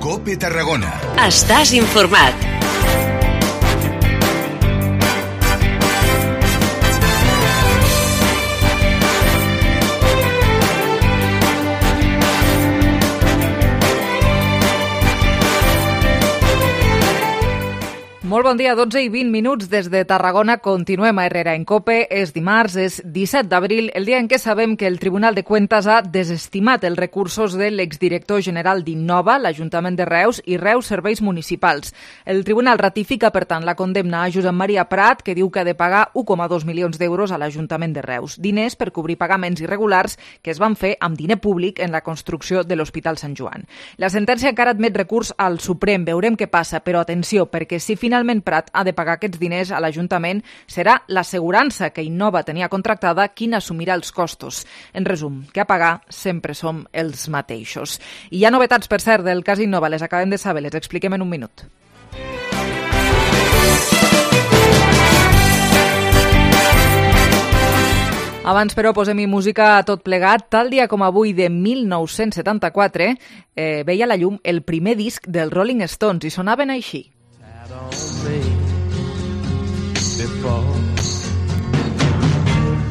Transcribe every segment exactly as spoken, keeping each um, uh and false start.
COPE Tarragona. Estàs informat. Molt bon dia, dotze i vint minuts des de Tarragona. Continuem a Herrera en COPE. És dimarts, és disset d'abril, el dia en què sabem que el Tribunal de Cuentas ha desestimat els recursos de l'exdirector general d'Innova, l'Ajuntament de Reus i Reus Serveis Municipals. El Tribunal ratifica, per tant, la condemna a Josep Maria Prat, que diu que ha de pagar un coma dos milions d'euros a l'Ajuntament de Reus. Diners per cobrir pagaments irregulars que es van fer amb diner públic en la construcció de l'Hospital Sant Joan. La sentència encara admet recurs al Suprem. Veurem què passa, però atenció, perquè si finalment Finalment Prat ha de pagar aquests diners a l'Ajuntament, serà l'assegurança que Innova tenia contractada qui n'assumirà els costos. En resum, que a pagar sempre som els mateixos. I hi ha novetats, per cert, del cas Innova, les acabem de saber, les expliquem en un minut. Abans, però, posem-hi música a tot plegat. Tal dia com avui de mil nou-cents setanta-quatre eh, veia la llum el primer disc dels Rolling Stones i sonaven així.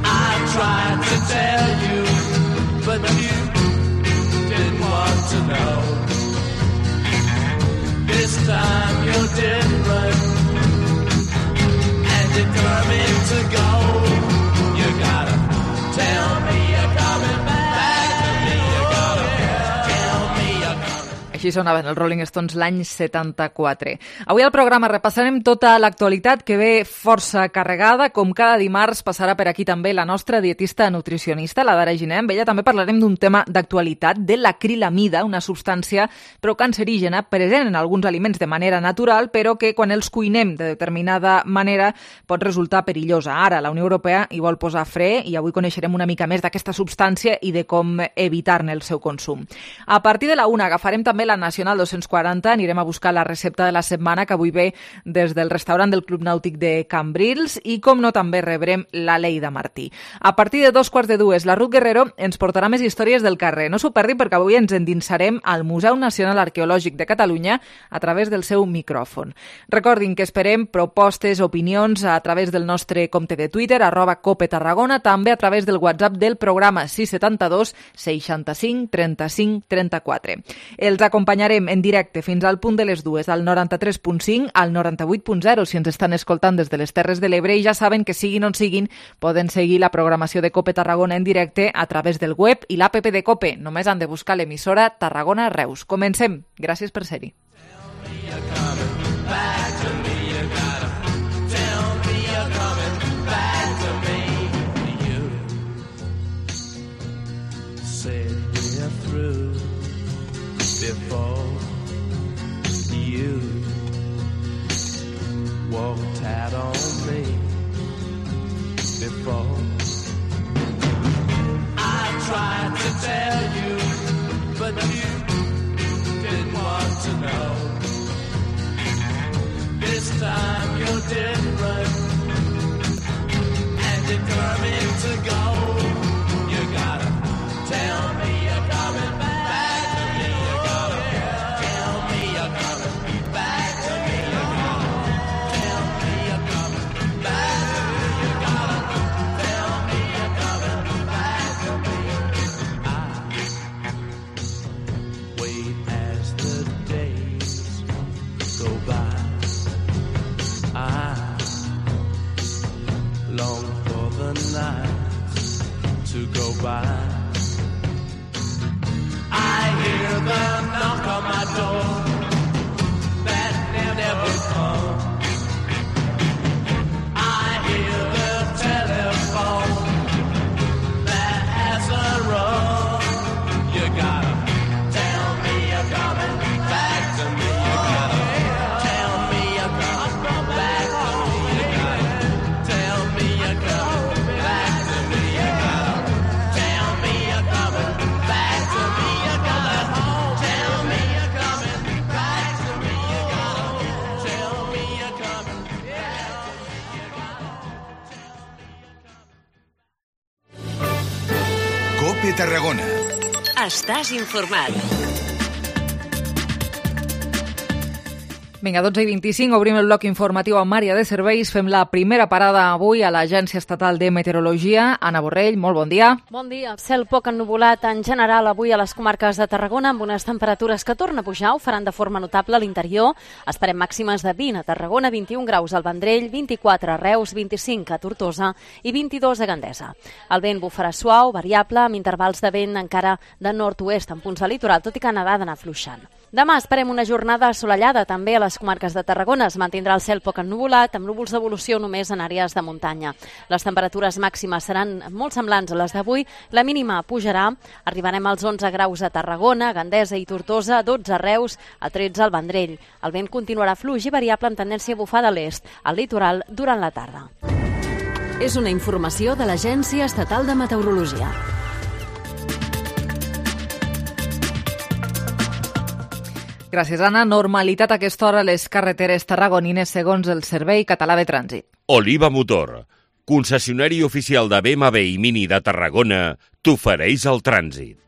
I tried to tell you, but you didn't want to know. This time you're different, and determined to go. You gotta tell me you're coming back to me. You gotta tell me you're coming. Així sonaven els Rolling Stones l'any setanta-quatre. Avui al programa repassarem tota l'actualitat que ve força carregada. Com cada dimarts passarà per aquí també la nostra dietista nutricionista, la Dara Giner. Amb ella també parlarem d'un tema d'actualitat, de l'acrilamida, una substància procancerígena present en alguns aliments de manera natural, però que quan els cuinem de determinada manera pot resultar perillosa. Ara la Unió Europea hi vol posar fre i avui coneixerem una mica més d'aquesta substància i de com evitar-ne el seu consum. A partir de la una agafarem també la Nacional dos-cents quaranta, anirem a buscar la recepta de la setmana que avui ve des del restaurant del Club Nàutic de Cambrils i, com no, també rebrem la Lleida Martí. A partir de dos quarts de dues, la Ruth Guerrero ens portarà més històries del carrer. No s'ho perdi perquè avui ens endinsarem al Museu Nacional Arqueològic de Catalunya a través del seu micròfon. Recordin que esperem propostes, opinions a través del nostre compte de Twitter, arroba Cope Tarragona, també a través del WhatsApp del programa sis setanta-dos seixanta-cinc trenta-cinc trenta-quatre. Els acompanyarem en directe fins al punt de les dues, al noranta-tres punt cinc, al noranta-vuit punt zero, si ens estan escoltant des de les Terres de l'Ebre, i ja saben que siguin on siguin, poden seguir la programació de Cope Tarragona en directe a través del web i l'app de Cope. Només han de buscar l'emissora Tarragona Reus. Comencem. Gràcies per ser-hi. Before you walked out on me, before I tried to tell you, but you didn't want to know. This time you're different and determined to go. You gotta tell me you're coming back. To go by, I hear the knock on my door that never comes. I hear the telephone that has a rung. You gotta tell me you're coming back to me. You gotta tell me you're coming back to me. You gotta tell me you're coming back to me. You gotta tell me you're coming back to me. You gotta tell me you're coming back to me. You gotta tell me you're coming back to me. COPE Tarragona. Estàs informat. Vinga, dotze i vint-i-cinc, obrim el bloc informatiu amb àrea de serveis. Fem la primera parada avui a l'Agència Estatal de Meteorologia. Anna Borrell, molt bon dia. Bon dia. Cel poc ennuvolat en general avui a les comarques de Tarragona amb unes temperatures que tornen a pujar, ho faran de forma notable a l'interior. Esperem màximes de vint a Tarragona, vint-i-un graus al Vendrell, vint-i-quatre a Reus, vint-i-cinc a Tortosa i vint-i-dos a Gandesa. El vent bufarà suau, variable, amb intervals de vent encara de nord-oest en punts del litoral, tot i que nedar d'anar afluixant. Demà esperem una jornada assolellada també a les comarques de Tarragona. Es mantindrà el cel poc ennuvolat, amb núvols d'evolució només en àrees de muntanya. Les temperatures màximes seran molt semblants a les d'avui. La mínima pujarà. Arribarem als onze graus a Tarragona, Gandesa i Tortosa, dotze a Reus, a tretze al Vendrell. El vent continuarà fluix i variable amb tendència a bufar de l'est, al litoral durant la tarda. És una informació de l'Agència Estatal de Meteorologia. Gràcies, Anna. Normalitat a aquesta hora a les carreteres tarragonines segons el Servei Català de Trànsit. Oliva Motor, concessionari oficial de B M W i Mini de Tarragona, t'ofereix el trànsit.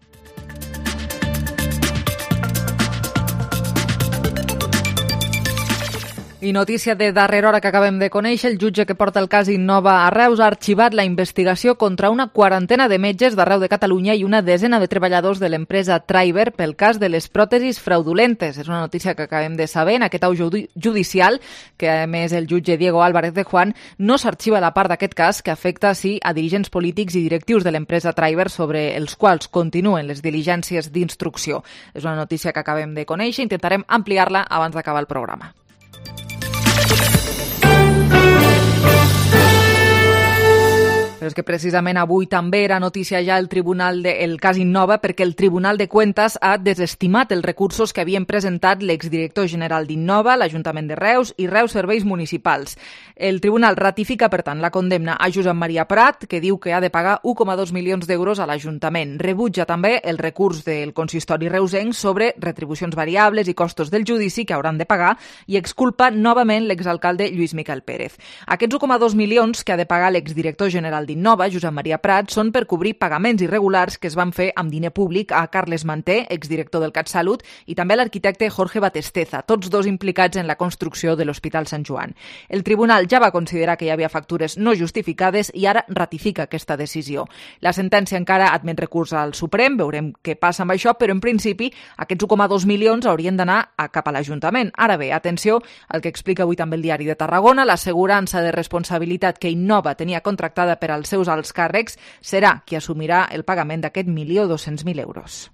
I notícia de darrera hora que acabem de conèixer, el jutge que porta el cas Innova a Reus ha arxivat la investigació contra una quarantena de metges d'arreu de Catalunya i una desena de treballadors de l'empresa Triber pel cas de les pròtesis fraudulentes. És una notícia que acabem de saber en aquest auge judicial, que a més el jutge Diego Álvarez de Juan no s'arxiva la part d'aquest cas que afecta sí a dirigents polítics i directius de l'empresa Triber sobre els quals continuen les diligències d'instrucció. És una notícia que acabem de conèixer, intentarem ampliar-la abans d'acabar el programa. Però és que precisament avui també era notícia ja el tribunal de, el cas Innova perquè el Tribunal de Cuentas ha desestimat els recursos que havien presentat l'exdirector general d'Innova, l'Ajuntament de Reus i Reus Serveis Municipals. El tribunal ratifica, per tant, la condemna a Josep Maria Prat, que diu que ha de pagar u coma dos milions d'euros a l'Ajuntament. Rebutja també el recurs del consistori reusenc sobre retribucions variables i costos del judici que hauran de pagar i exculpa novament l'exalcalde Lluís Miquel Pérez. Aquests u coma dos milions que ha de pagar l'exdirector general d'Innova, Josep Maria Prat, són per cobrir pagaments irregulars que es van fer amb diner públic a Carles Manté, exdirector del CatSalut, i també a l'arquitecte Jorge Batesteza, tots dos implicats en la construcció de l'Hospital Sant Joan. El tribunal ja va considerar que hi havia factures no justificades i ara ratifica aquesta decisió. La sentència encara admet recurs al Suprem, veurem què passa amb això, però en principi aquests u coma dos milions haurien d'anar cap a l'Ajuntament. Ara bé, atenció al que explica avui també el Diari de Tarragona, l'assegurança de responsabilitat que Innova tenia contractada per als seus alts càrrecs serà qui assumirà el pagament d'aquest milió dos-cents mil euros.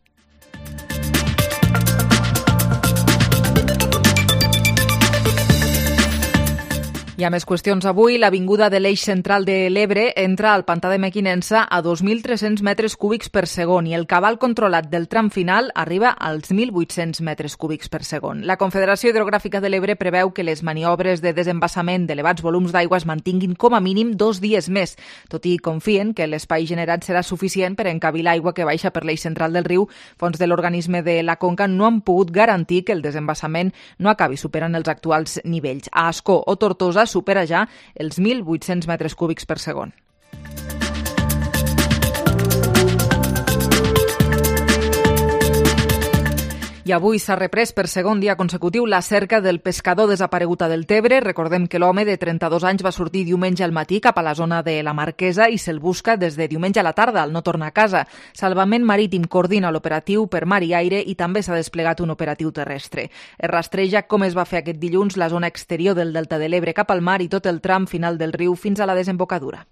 Hi ha més qüestions avui. L'avinguda de l'eix central de l'Ebre entra al pantà de Mequinensa a dos mil tres-cents metres cúbics per segon i el cabal controlat del tram final arriba als mil vuit-cents metres cúbics per segon. La Confederació Hidrogràfica de l'Ebre preveu que les maniobres de desembassament d'elevats volums d'aigua es mantinguin com a mínim dos dies més, tot i confien que l'espai generat serà suficient per encabir l'aigua que baixa per l'eix central del riu. Fons de l'organisme de la Conca no han pogut garantir que el desembassament no acabi superant els actuals nivells. A Ascó o Tortosa supera ja els mil vuit-cents metres cúbics per segon. I avui s'ha reprès per segon dia consecutiu la cerca del pescador desaparegut a Deltebre. Recordem que l'home de trenta-dos anys va sortir diumenge al matí cap a la zona de la Marquesa i se'l busca des de diumenge a la tarda, al no tornar a casa. Salvament Marítim coordina l'operatiu per mar i aire i també s'ha desplegat un operatiu terrestre. Es rastreja com es va fer aquest dilluns la zona exterior del Delta de l'Ebre cap al mar i tot el tram final del riu fins a la desembocadura.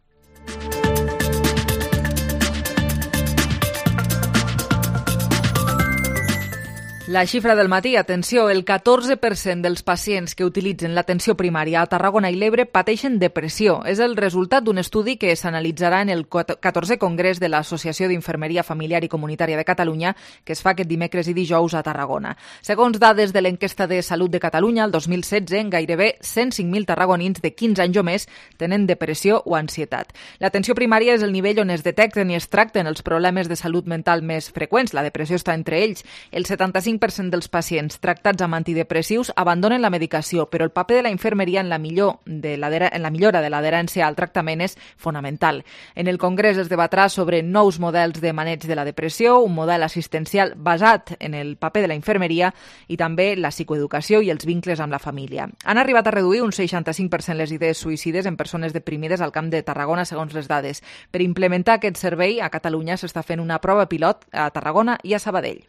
La xifra del matí, atenció, el catorze per cent dels pacients que utilitzen l'atenció primària a Tarragona i l'Ebre pateixen depressió. És el resultat d'un estudi que s'analitzarà en el catorzè Congrés de l'Associació d'Infermeria Familiar i Comunitària de Catalunya, que es fa aquest dimecres i dijous a Tarragona. Segons dades de l'enquesta de Salut de Catalunya, el dos mil setze, gairebé cent cinc mil tarragonins de quinze anys o més tenen depressió o ansietat. L'atenció primària és el nivell on es detecten i es tracten els problemes de salut mental més freqüents. La depressió està entre ells. El setanta-cinc per cent dels pacients tractats amb antidepressius abandonen la medicació, però el paper de la infermeria en la, millor de la, en la millora de l'adherència al tractament és fonamental. En el Congrés es debatrà sobre nous models de maneig de la depressió, un model assistencial basat en el paper de la infermeria i també la psicoeducació i els vincles amb la família. Han arribat a reduir un seixanta-cinc per cent les idees suïcides en persones deprimides al Camp de Tarragona, segons les dades. Per implementar aquest servei, a Catalunya s'està fent una prova pilot a Tarragona i a Sabadell.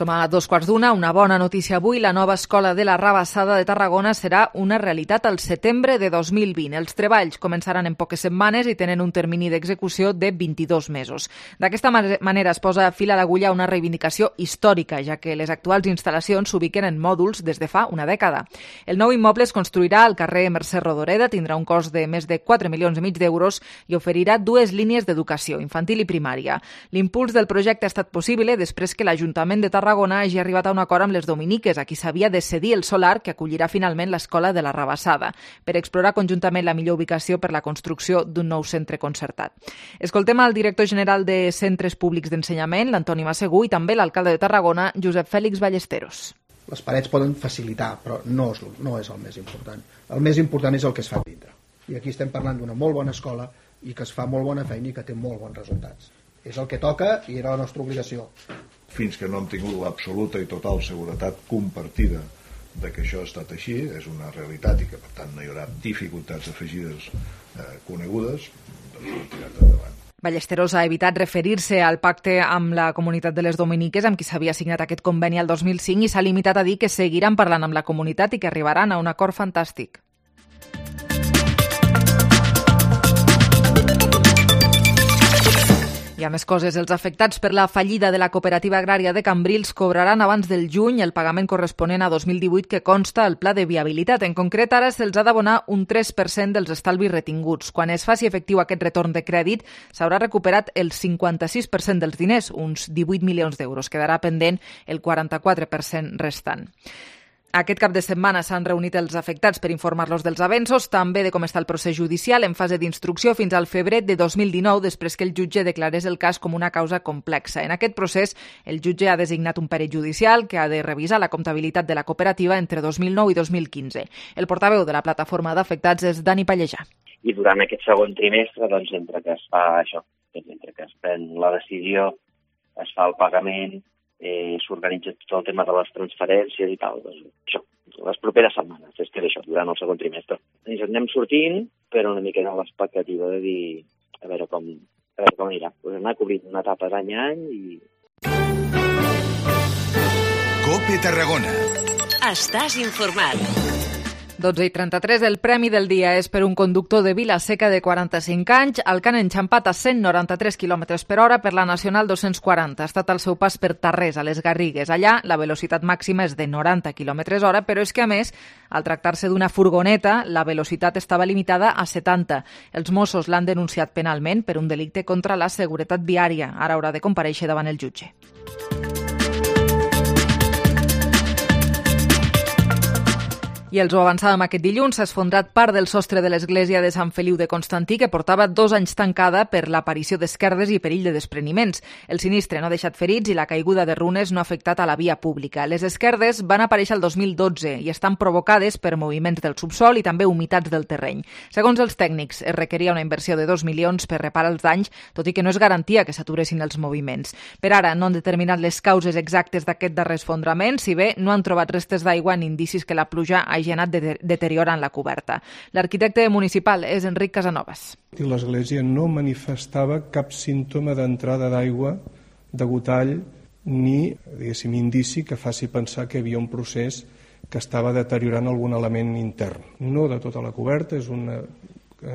Som a dos quarts d'una, una bona notícia avui. La nova escola de la Rabassada de Tarragona serà una realitat al setembre de dos mil vint. Els treballs començaran en poques setmanes i tenen un termini d'execució de vint-i-dos mesos. D'aquesta manera es posa fil a l'agulla una reivindicació històrica, ja que les actuals instal·lacions s'ubiquen en mòduls des de fa una dècada. El nou immoble es construirà al carrer Mercè Rodoreda, tindrà un cost de més de quatre milions i mig d'euros i oferirà dues línies d'educació, infantil i primària. L'impuls del projecte ha estat possible després que l'Ajuntament de Tarragona Tarragona hagi arribat a un acord amb les dominiques, a qui s'havia de cedir el solar que acollirà finalment l'escola de la Rabassada, per explorar conjuntament la millor ubicació per la construcció d'un nou centre concertat. Escoltem al director general de Centres Públics d'Ensenyament, l'Antoni Massegú, i també l'alcalde de Tarragona, Josep Fèlix Ballesteros. Les parets poden facilitar, però no és, no és el més important. El més important és el que es fa dintre. I aquí estem parlant d'una molt bona escola i que es fa molt bona feina i que té molt bons resultats. És el que toca i era la nostra obligació. Fins que no hem tingut l'absoluta i total seguretat compartida de que això ha estat així, és una realitat i que per tant no hi haurà dificultats afegides eh, conegudes, doncs ho hem tirat endavant. Ballesteros ha evitat referir-se al pacte amb la comunitat de les Dominiques amb qui s'havia signat aquest conveni el dos mil cinc i s'ha limitat a dir que seguiran parlant amb la comunitat i que arribaran a un acord fantàstic. Hi ha més coses. Els afectats per la fallida de la cooperativa agrària de Cambrils cobraran abans del juny el pagament corresponent a dos mil divuit que consta al pla de viabilitat. En concret, ara se'ls ha d'abonar un tres per cent dels estalvis retinguts. Quan es faci efectiu aquest retorn de crèdit, s'haurà recuperat el cinquanta-sis per cent dels diners, uns divuit milions d'euros. Quedarà pendent el quaranta-quatre per cent restant. Aquest cap de setmana s'han reunit els afectats per informar-los dels avenços, també de com està el procés judicial en fase d'instrucció fins al febrer de dos mil dinou, després que el jutge declarés el cas com una causa complexa. En aquest procés, el jutge ha designat un perit judicial que ha de revisar la comptabilitat de la cooperativa entre dos mil nou i dos mil quinze. El portaveu de la plataforma d'afectats és Dani Pallejà. I durant aquest segon trimestre, doncs, entre que es fa això, entre que es pren la decisió, es fa el pagament, Eh, s'organitza tot el tema de les transferències i tal. Doncs, això, les properes setmanes, és que això, durant el segon trimestre. Ens anem sortint, però una mica de l'expectativa de dir a veure com, a veure com anirà. Pues anar cobrint una etapa d'any a any i... COPE Tarragona. Estàs informat. dotze i trenta-tres, el premi del dia és per un conductor de Vila-seca de quaranta-cinc anys, el que han enxampat a cent noranta-tres quilòmetres per hora per la Nacional dos-cents quaranta. Ha estat al seu pas per Tarrés, a les Garrigues. Allà, la velocitat màxima és de noranta quilòmetres hora, però és que, a més, al tractar-se d'una furgoneta, la velocitat estava limitada a setanta. Els Mossos l'han denunciat penalment per un delicte contra la seguretat viària. Ara haurà de comparèixer davant el jutge. I els ho avançàvem aquest dilluns, s'ha esfondrat part del sostre de l'església de Sant Feliu de Constantí, que portava dos anys tancada per l'aparició d'esquerdes i perill de despreniments. El sinistre no ha deixat ferits i la caiguda de runes no ha afectat a la via pública. Les esquerdes van aparèixer el dos mil dotze i estan provocades per moviments del subsol i també humitats del terreny. Segons els tècnics, es requeria una inversió de dos milions per reparar els danys, tot i que no és garantia que s'aturessin els moviments. Per ara no han determinat les causes exactes d'aquest darrer esfondrament, si bé no han trobat restes d'aigua ni indicis que la pluja ha hagi anat de- deteriorant la coberta. L'arquitecte municipal és Enric Casanovas. L'església no manifestava cap símptoma d'entrada d'aigua, de gotall, ni, diguéssim, indici que faci pensar que hi havia un procés que estava deteriorant algun element intern. No de tota la coberta, és una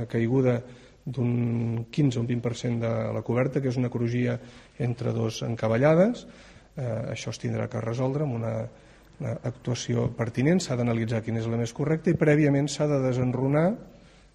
caiguda d'un quinze o un vint per cent de la coberta, que és una crugia entre dos encavallades. Eh, això es tindrà que resoldre amb una actuació pertinent, s'ha d'analitzar quina és la més correcta i prèviament s'ha de desenrunar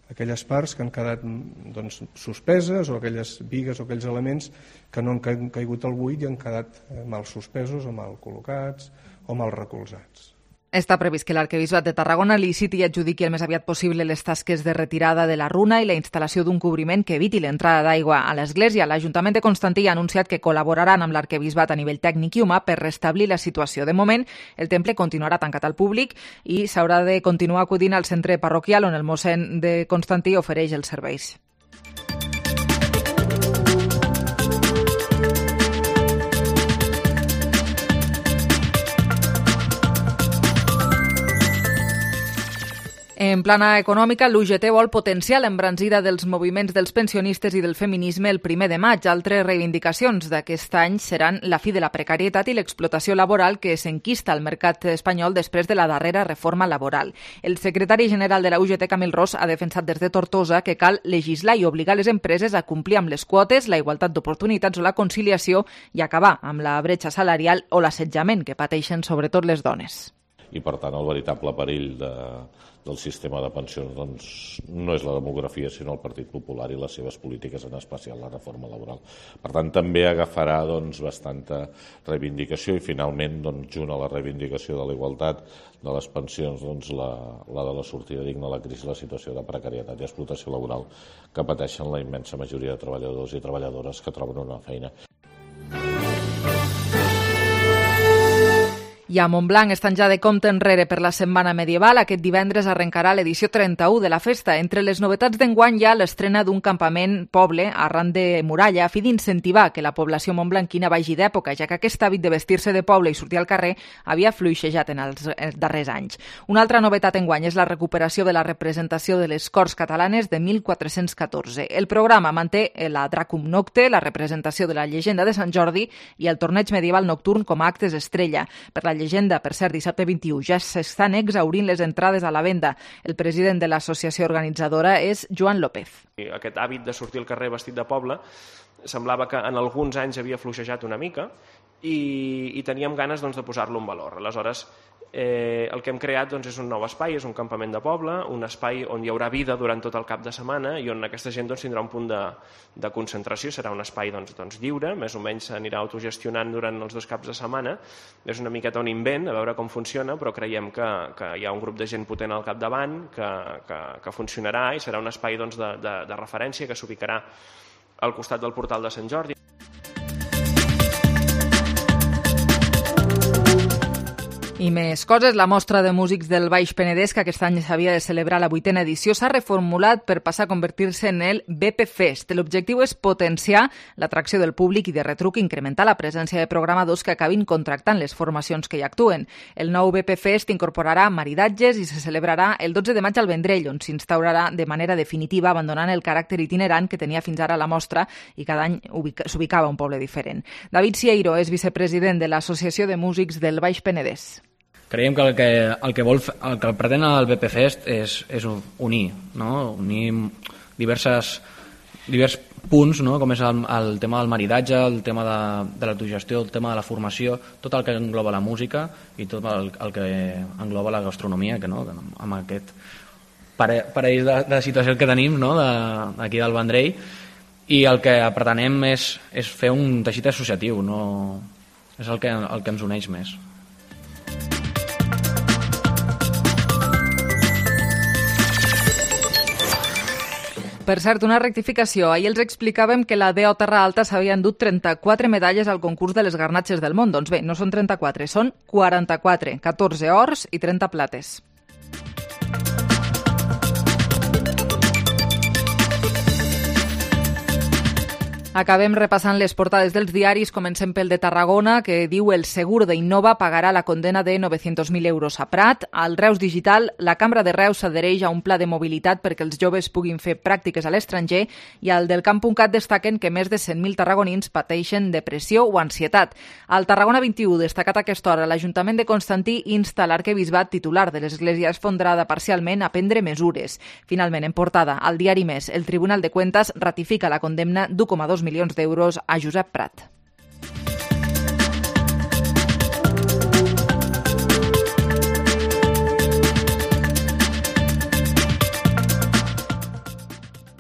aquelles parts que han quedat doncs, suspeses o aquelles bigues o aquells elements que no han caigut al buit i han quedat mal suspesos o mal col·locats o mal recolzats. Està previst que l'Arquebisbat de Tarragona liciti i adjudiqui el més aviat possible les tasques de retirada de la runa i la instal·lació d'un cobriment que eviti l'entrada d'aigua a l'església. L'Ajuntament de Constantí ha anunciat que col·laboraran amb l'Arquebisbat a nivell tècnic i humà per restablir la situació. De moment, el temple continuarà tancat al públic i s'haurà de continuar acudint al centre parroquial on el mossèn de Constantí ofereix els serveis. En plana econòmica, l'U G T vol potenciar l'embranzida dels moviments dels pensionistes i del feminisme el primer de maig. Altres reivindicacions d'aquest any seran la fi de la precarietat i l'explotació laboral que s'enquista al mercat espanyol després de la darrera reforma laboral. El secretari general de la U G T, Camil Ros, ha defensat des de Tortosa que cal legislar i obligar les empreses a complir amb les quotes, la igualtat d'oportunitats o la conciliació i acabar amb la bretxa salarial o l'assetjament que pateixen sobretot les dones. I, per tant, el veritable perill de, del sistema de pensions doncs, no és la demografia, sinó el Partit Popular i les seves polítiques, en especial la reforma laboral. Per tant, també agafarà doncs, bastanta reivindicació i, finalment, doncs, junt a la reivindicació de la igualtat de les pensions, doncs, la, la de la sortida digna a la crisi, la situació de precarietat i explotació laboral que pateixen la immensa majoria de treballadors i treballadores que troben una feina. I a Montblanc estan ja de compte enrere per la Setmana Medieval. Aquest divendres arrencarà l'edició trenta-u de la festa. Entre les novetats d'enguany hi ha l'estrena d'un campament poble arran de muralla a fi d'incentivar que la població montblanquina vagi d'època, ja que aquest hàbit de vestir-se de poble i sortir al carrer havia fluixejat en els darrers anys. Una altra novetat enguany és la recuperació de la representació de les Corts Catalanes de mil quatre-cents catorze. El programa manté la Dracum Nocte, la representació de la llegenda de Sant Jordi i el torneig medieval nocturn com a actes estrella. Per la llegenda, per cert, dissabte vint-i-u, ja s'estan exhaurint les entrades a la venda. El president de l'associació organitzadora és Joan López. Aquest hàbit de sortir al carrer vestit de poble semblava que en alguns anys havia fluixejat una mica i, i teníem ganes doncs, de posar-lo en valor. Aleshores, eh, el que hem creat doncs, és un nou espai, és un campament de poble, un espai on hi haurà vida durant tot el cap de setmana i on aquesta gent doncs, tindrà un punt de, de concentració, serà un espai doncs, doncs, lliure, més o menys s'anirà autogestionant durant els dos caps de setmana. És una miqueta un invent, a veure com funciona, però creiem que, que hi ha un grup de gent potent al capdavant, que, que, que funcionarà i serà un espai doncs, de, de, de referència que s'ubicarà al costat del portal de Sant Jordi. I més coses, la mostra de músics del Baix Penedès, que aquest any s'havia de celebrar la vuitena edició, s'ha reformulat per passar a convertir-se en el B P Fest. L'objectiu és potenciar l'atracció del públic i de retruc incrementar la presència de programadors que acabin contractant les formacions que hi actuen. El nou B P Fest incorporarà maridatges i se celebrarà el dotze de maig al Vendrell, on s'instaurarà de manera definitiva, abandonant el caràcter itinerant que tenia fins ara la mostra i cada any s'ubicava a un poble diferent. David Sieiro és vicepresident de l'Associació de Músics del Baix Penedès. Creiem que el que, el que, vol, el que pretén el B P Fest és, és unir, no? unir diverses, divers punts, no? Com és el, el tema del maridatge, el tema de, de l'autogestió, el tema de la formació, tot el que engloba la música i tot el, el que engloba la gastronomia, que, no? que amb aquest parell de, de situació que tenim, no? de, aquí del Vendrell, i el que pretenem és, és fer un teixit associatiu, no? És el que, el que ens uneix més. Per cert, una rectificació. Ahir els explicàvem que la D O Terra Alta s'havia endut trenta-quatre medalles al concurs de les garnatxes del món. Doncs bé, no són trenta-quatre, són quaranta-quatre, catorze ors i trenta plates. Acabem repassant les portades dels diaris. Comencem pel de Tarragona, que diu el segur d'Innova pagarà la condena de nou-cents mil euros a Prat. Al Reus Digital, la Cambra de Reus s'adhereix a un pla de mobilitat perquè els joves puguin fer pràctiques a l'estranger, i al del Camp punt cat destaquen que més de cent mil tarragonins pateixen depressió o ansietat. Al Tarragona vint-i-u, destacat a aquesta hora, l'Ajuntament de Constantí insta l'arquebisbat titular de l'església esfondrada parcialment a prendre mesures. Finalment, en portada, al diari Més, el Tribunal de Cuentas ratifica la condemna d'u coma dos milions d'euros a Josep Prat.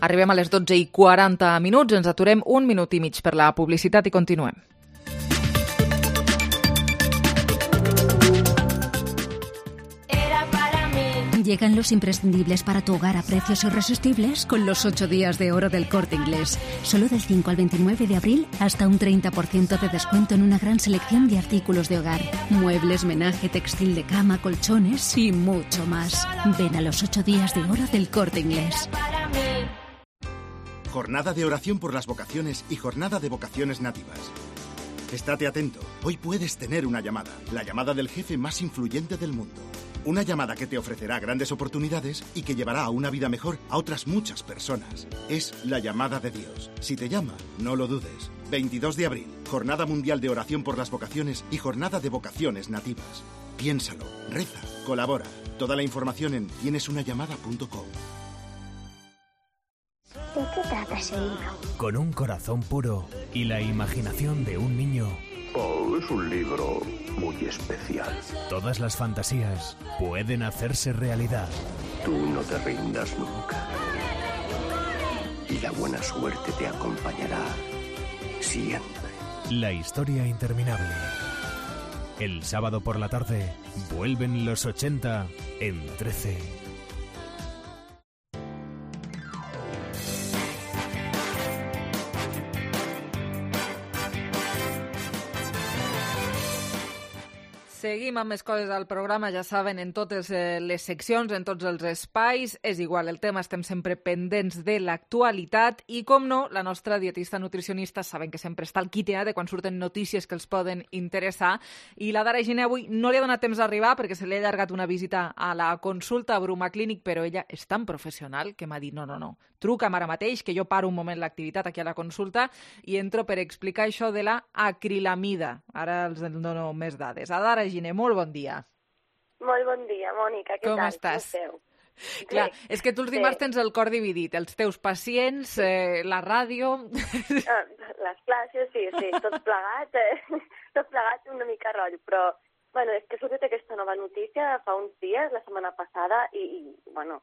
Arribem a les dotze i quaranta minuts, ens aturem un minut i mig per la publicitat i continuem. Llegan los imprescindibles para tu hogar a precios irresistibles con los ocho días de oro del Corte Inglés. Solo del cinco al veintinueve de abril, hasta un treinta por ciento de descuento en una gran selección de artículos de hogar. Muebles, menaje, textil de cama, colchones y mucho más. Ven a los ocho días de oro del Corte Inglés. Jornada de oración por las vocaciones y jornada de vocaciones nativas. Estate atento, hoy puedes tener una llamada, la llamada del jefe más influyente del mundo. Una llamada que te ofrecerá grandes oportunidades y que llevará a una vida mejor a otras muchas personas. Es la llamada de Dios. Si te llama, no lo dudes. veintidós de abril, Jornada Mundial de Oración por las Vocaciones y Jornada de Vocaciones Nativas. Piénsalo, reza, colabora. Toda la información en tienes una llamada punto com. ¿De qué trata ese libro? Con un corazón puro y la imaginación de un niño. Oh, es un libro muy especial. Todas las fantasías pueden hacerse realidad. Tú no te rindas nunca. Y la buena suerte te acompañará siempre. La historia interminable. El sábado por la tarde vuelven los ochenta en trece. Seguim amb més coses al programa, ja saben, en totes eh, les seccions, en tots els espais. És igual, el tema, estem sempre pendents de l'actualitat i, com no, la nostra dietista nutricionista saben que sempre està al quite de quan surten notícies que els poden interessar, i la Dara Giner avui no li ha donat temps d'arribar perquè se li ha allargat una visita a la consulta a Bruma Clínic, però ella és tan professional que m'ha dit no, no, no, truca'm ara mateix, que jo paro un moment l'activitat aquí a la consulta i entro per explicar això de la acrilamida. Ara els dono més dades. A Dara Giner, molt bon dia. Molt bon dia, Mònica. Què Com tal? estàs? Com esteu? Clar, Bé, és que tu els dimarts tens el cor dividit, els teus pacients, eh, la ràdio... Ah, les classes, sí, sí, tot plegat, eh? tot plegat una mica rotllo, però bueno, és que ha sortit aquesta nova notícia fa uns dies, la setmana passada, i, i bueno,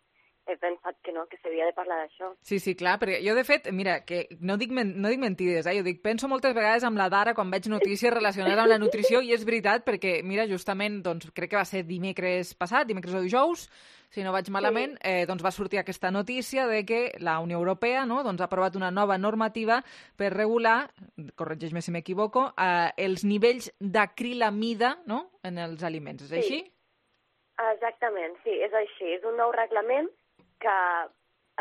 he pensat que no, que s'havia de parlar d'això. Sí, sí, clar, perquè jo, de fet, mira, que no dic, men no dic mentides, eh? Jo dic, penso moltes vegades amb la Dara quan veig notícies relacionades amb la nutrició, i és veritat, perquè, mira, justament, doncs, crec que va ser dimecres passat, dimecres o dijous, si no vaig malament, sí. eh, doncs va sortir aquesta notícia de que la Unió Europea, no, doncs, ha aprovat una nova normativa per regular, corregeix-me si m'equivoco, eh, els nivells d'acrilamida, no?, en els aliments. És sí. així? Exactament, sí, és així. És un nou reglament que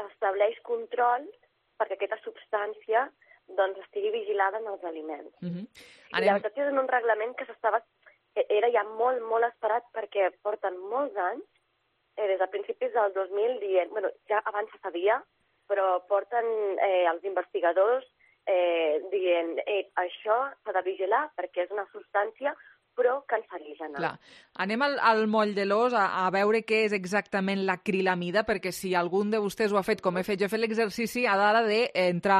estableix control perquè aquesta substància doncs, estigui vigilada en els aliments. Uh-huh. I la veritat és un reglament que s'estava era ja molt, molt esperat perquè porten molts anys, eh, des de principis del dos mil dient, bueno, ja abans se sabia, però porten eh, els investigadors eh, dient eh, això s'ha de vigilar perquè és una substància però cancerígena. Clar. Anem al, al moll de l'os a, a veure què és exactament l'acrilamida, perquè si algun de vostès ho ha fet, com he fet jo, he fet l'exercici a l'hora d'entrar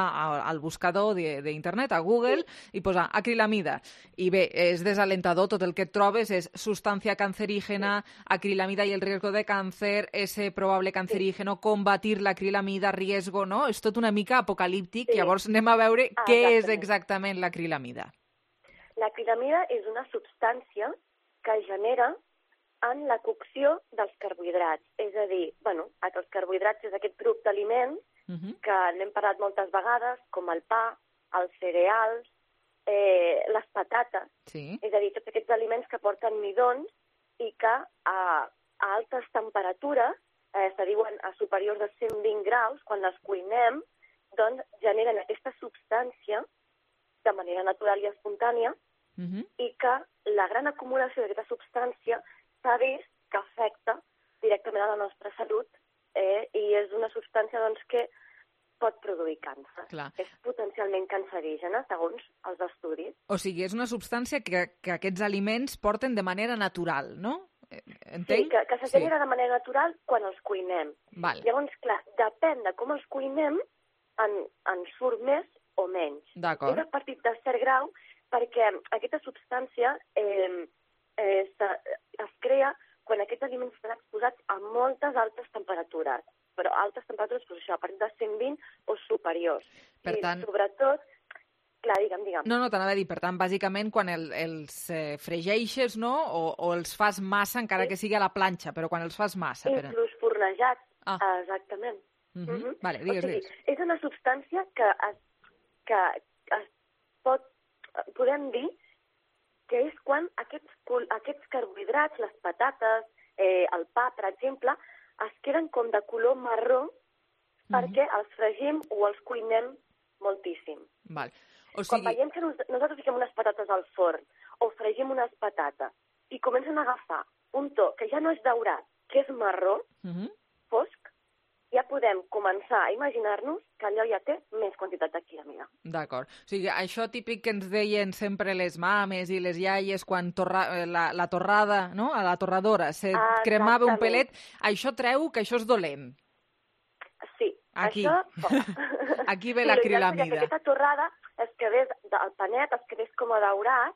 al buscador d'internet, a Google, sí. i posar acrilamida. I bé, és desalentador, tot el que et trobes és substància cancerígena, sí. acrilamida i el riesgo de càncer, ese probable cancerígeno, sí. combatir l'acrilamida, riesgo, no? És tot una mica apocalíptic, sí. Llavors anem a veure ah, què exactament. és exactament l'acrilamida. L'acrilamida és una substància que es genera en la cocció dels carbohidrats. És a dir, bueno, els carbohidrats és aquest grup d'aliments uh-huh. que n'hem parlat moltes vegades, com el pa, els cereals, eh, les patates. Sí. És a dir, tots aquests aliments que porten midons i que a, a altes temperatures, eh, se diuen a superiors de cent vint graus, quan les cuinem, doncs generen aquesta substància de manera natural i espontània, Uh-huh. i que la gran acumulació d'aquesta substància s'ha vist que afecta directament a la nostra salut eh, i és una substància doncs, que pot produir càncer. Clar. És potencialment cancerígena, segons els estudis. O sigui, és una substància que, que aquests aliments porten de manera natural, no? Entenc? Sí, que, que se genera sí. de manera natural quan els cuinem. Val. Llavors, clar, depèn de com els cuinem, en, en surt més o menys. D'acord. És a partir de cert grau perquè aquesta substància eh, eh, es crea quan aquests aliments estan exposats a moltes altes temperatures, però altes temperatures, doncs això, a partir de cent vint o superiors. Per tant... I sobretot, clar, digue'm, digue'm. No, no, t'anava a dir, per tant, bàsicament, quan el, els eh, fregeixes, no?, o, o els fas massa, encara sí. que sigui a la planxa, però quan els fas massa... Inclús per... barrejats, Ah. exactament. Uh -huh. Mhm. Vale, digues, o sigui, digues. és una substància que es, que es pot, podem dir que és quan aquests, aquests carbohidrats, les patates, eh, el pa, per exemple, es queden com de color marró perquè els fregim o els cuinem moltíssim. Val. O Quan sigui, veiem que nos, nosaltres fiquem unes patates al forn o fregim unes patates i comencen a agafar un to que ja no és daurat, que és marró, uh -huh. fosc, ja podem començar a imaginar-nos que allò ja té més quantitat de quilamida. D'acord. O sigui, això típic que ens deien sempre les mames i les iaies quan torra, la, la torrada, no?, a la torradora, se Ah, cremava un exactament. pelet, això treu que això és dolent. Sí, Aquí. això... Aquí ve sí, la l'ideal seria que acrilamida. aquesta torrada es quedés, el panet es quedés com a daurat,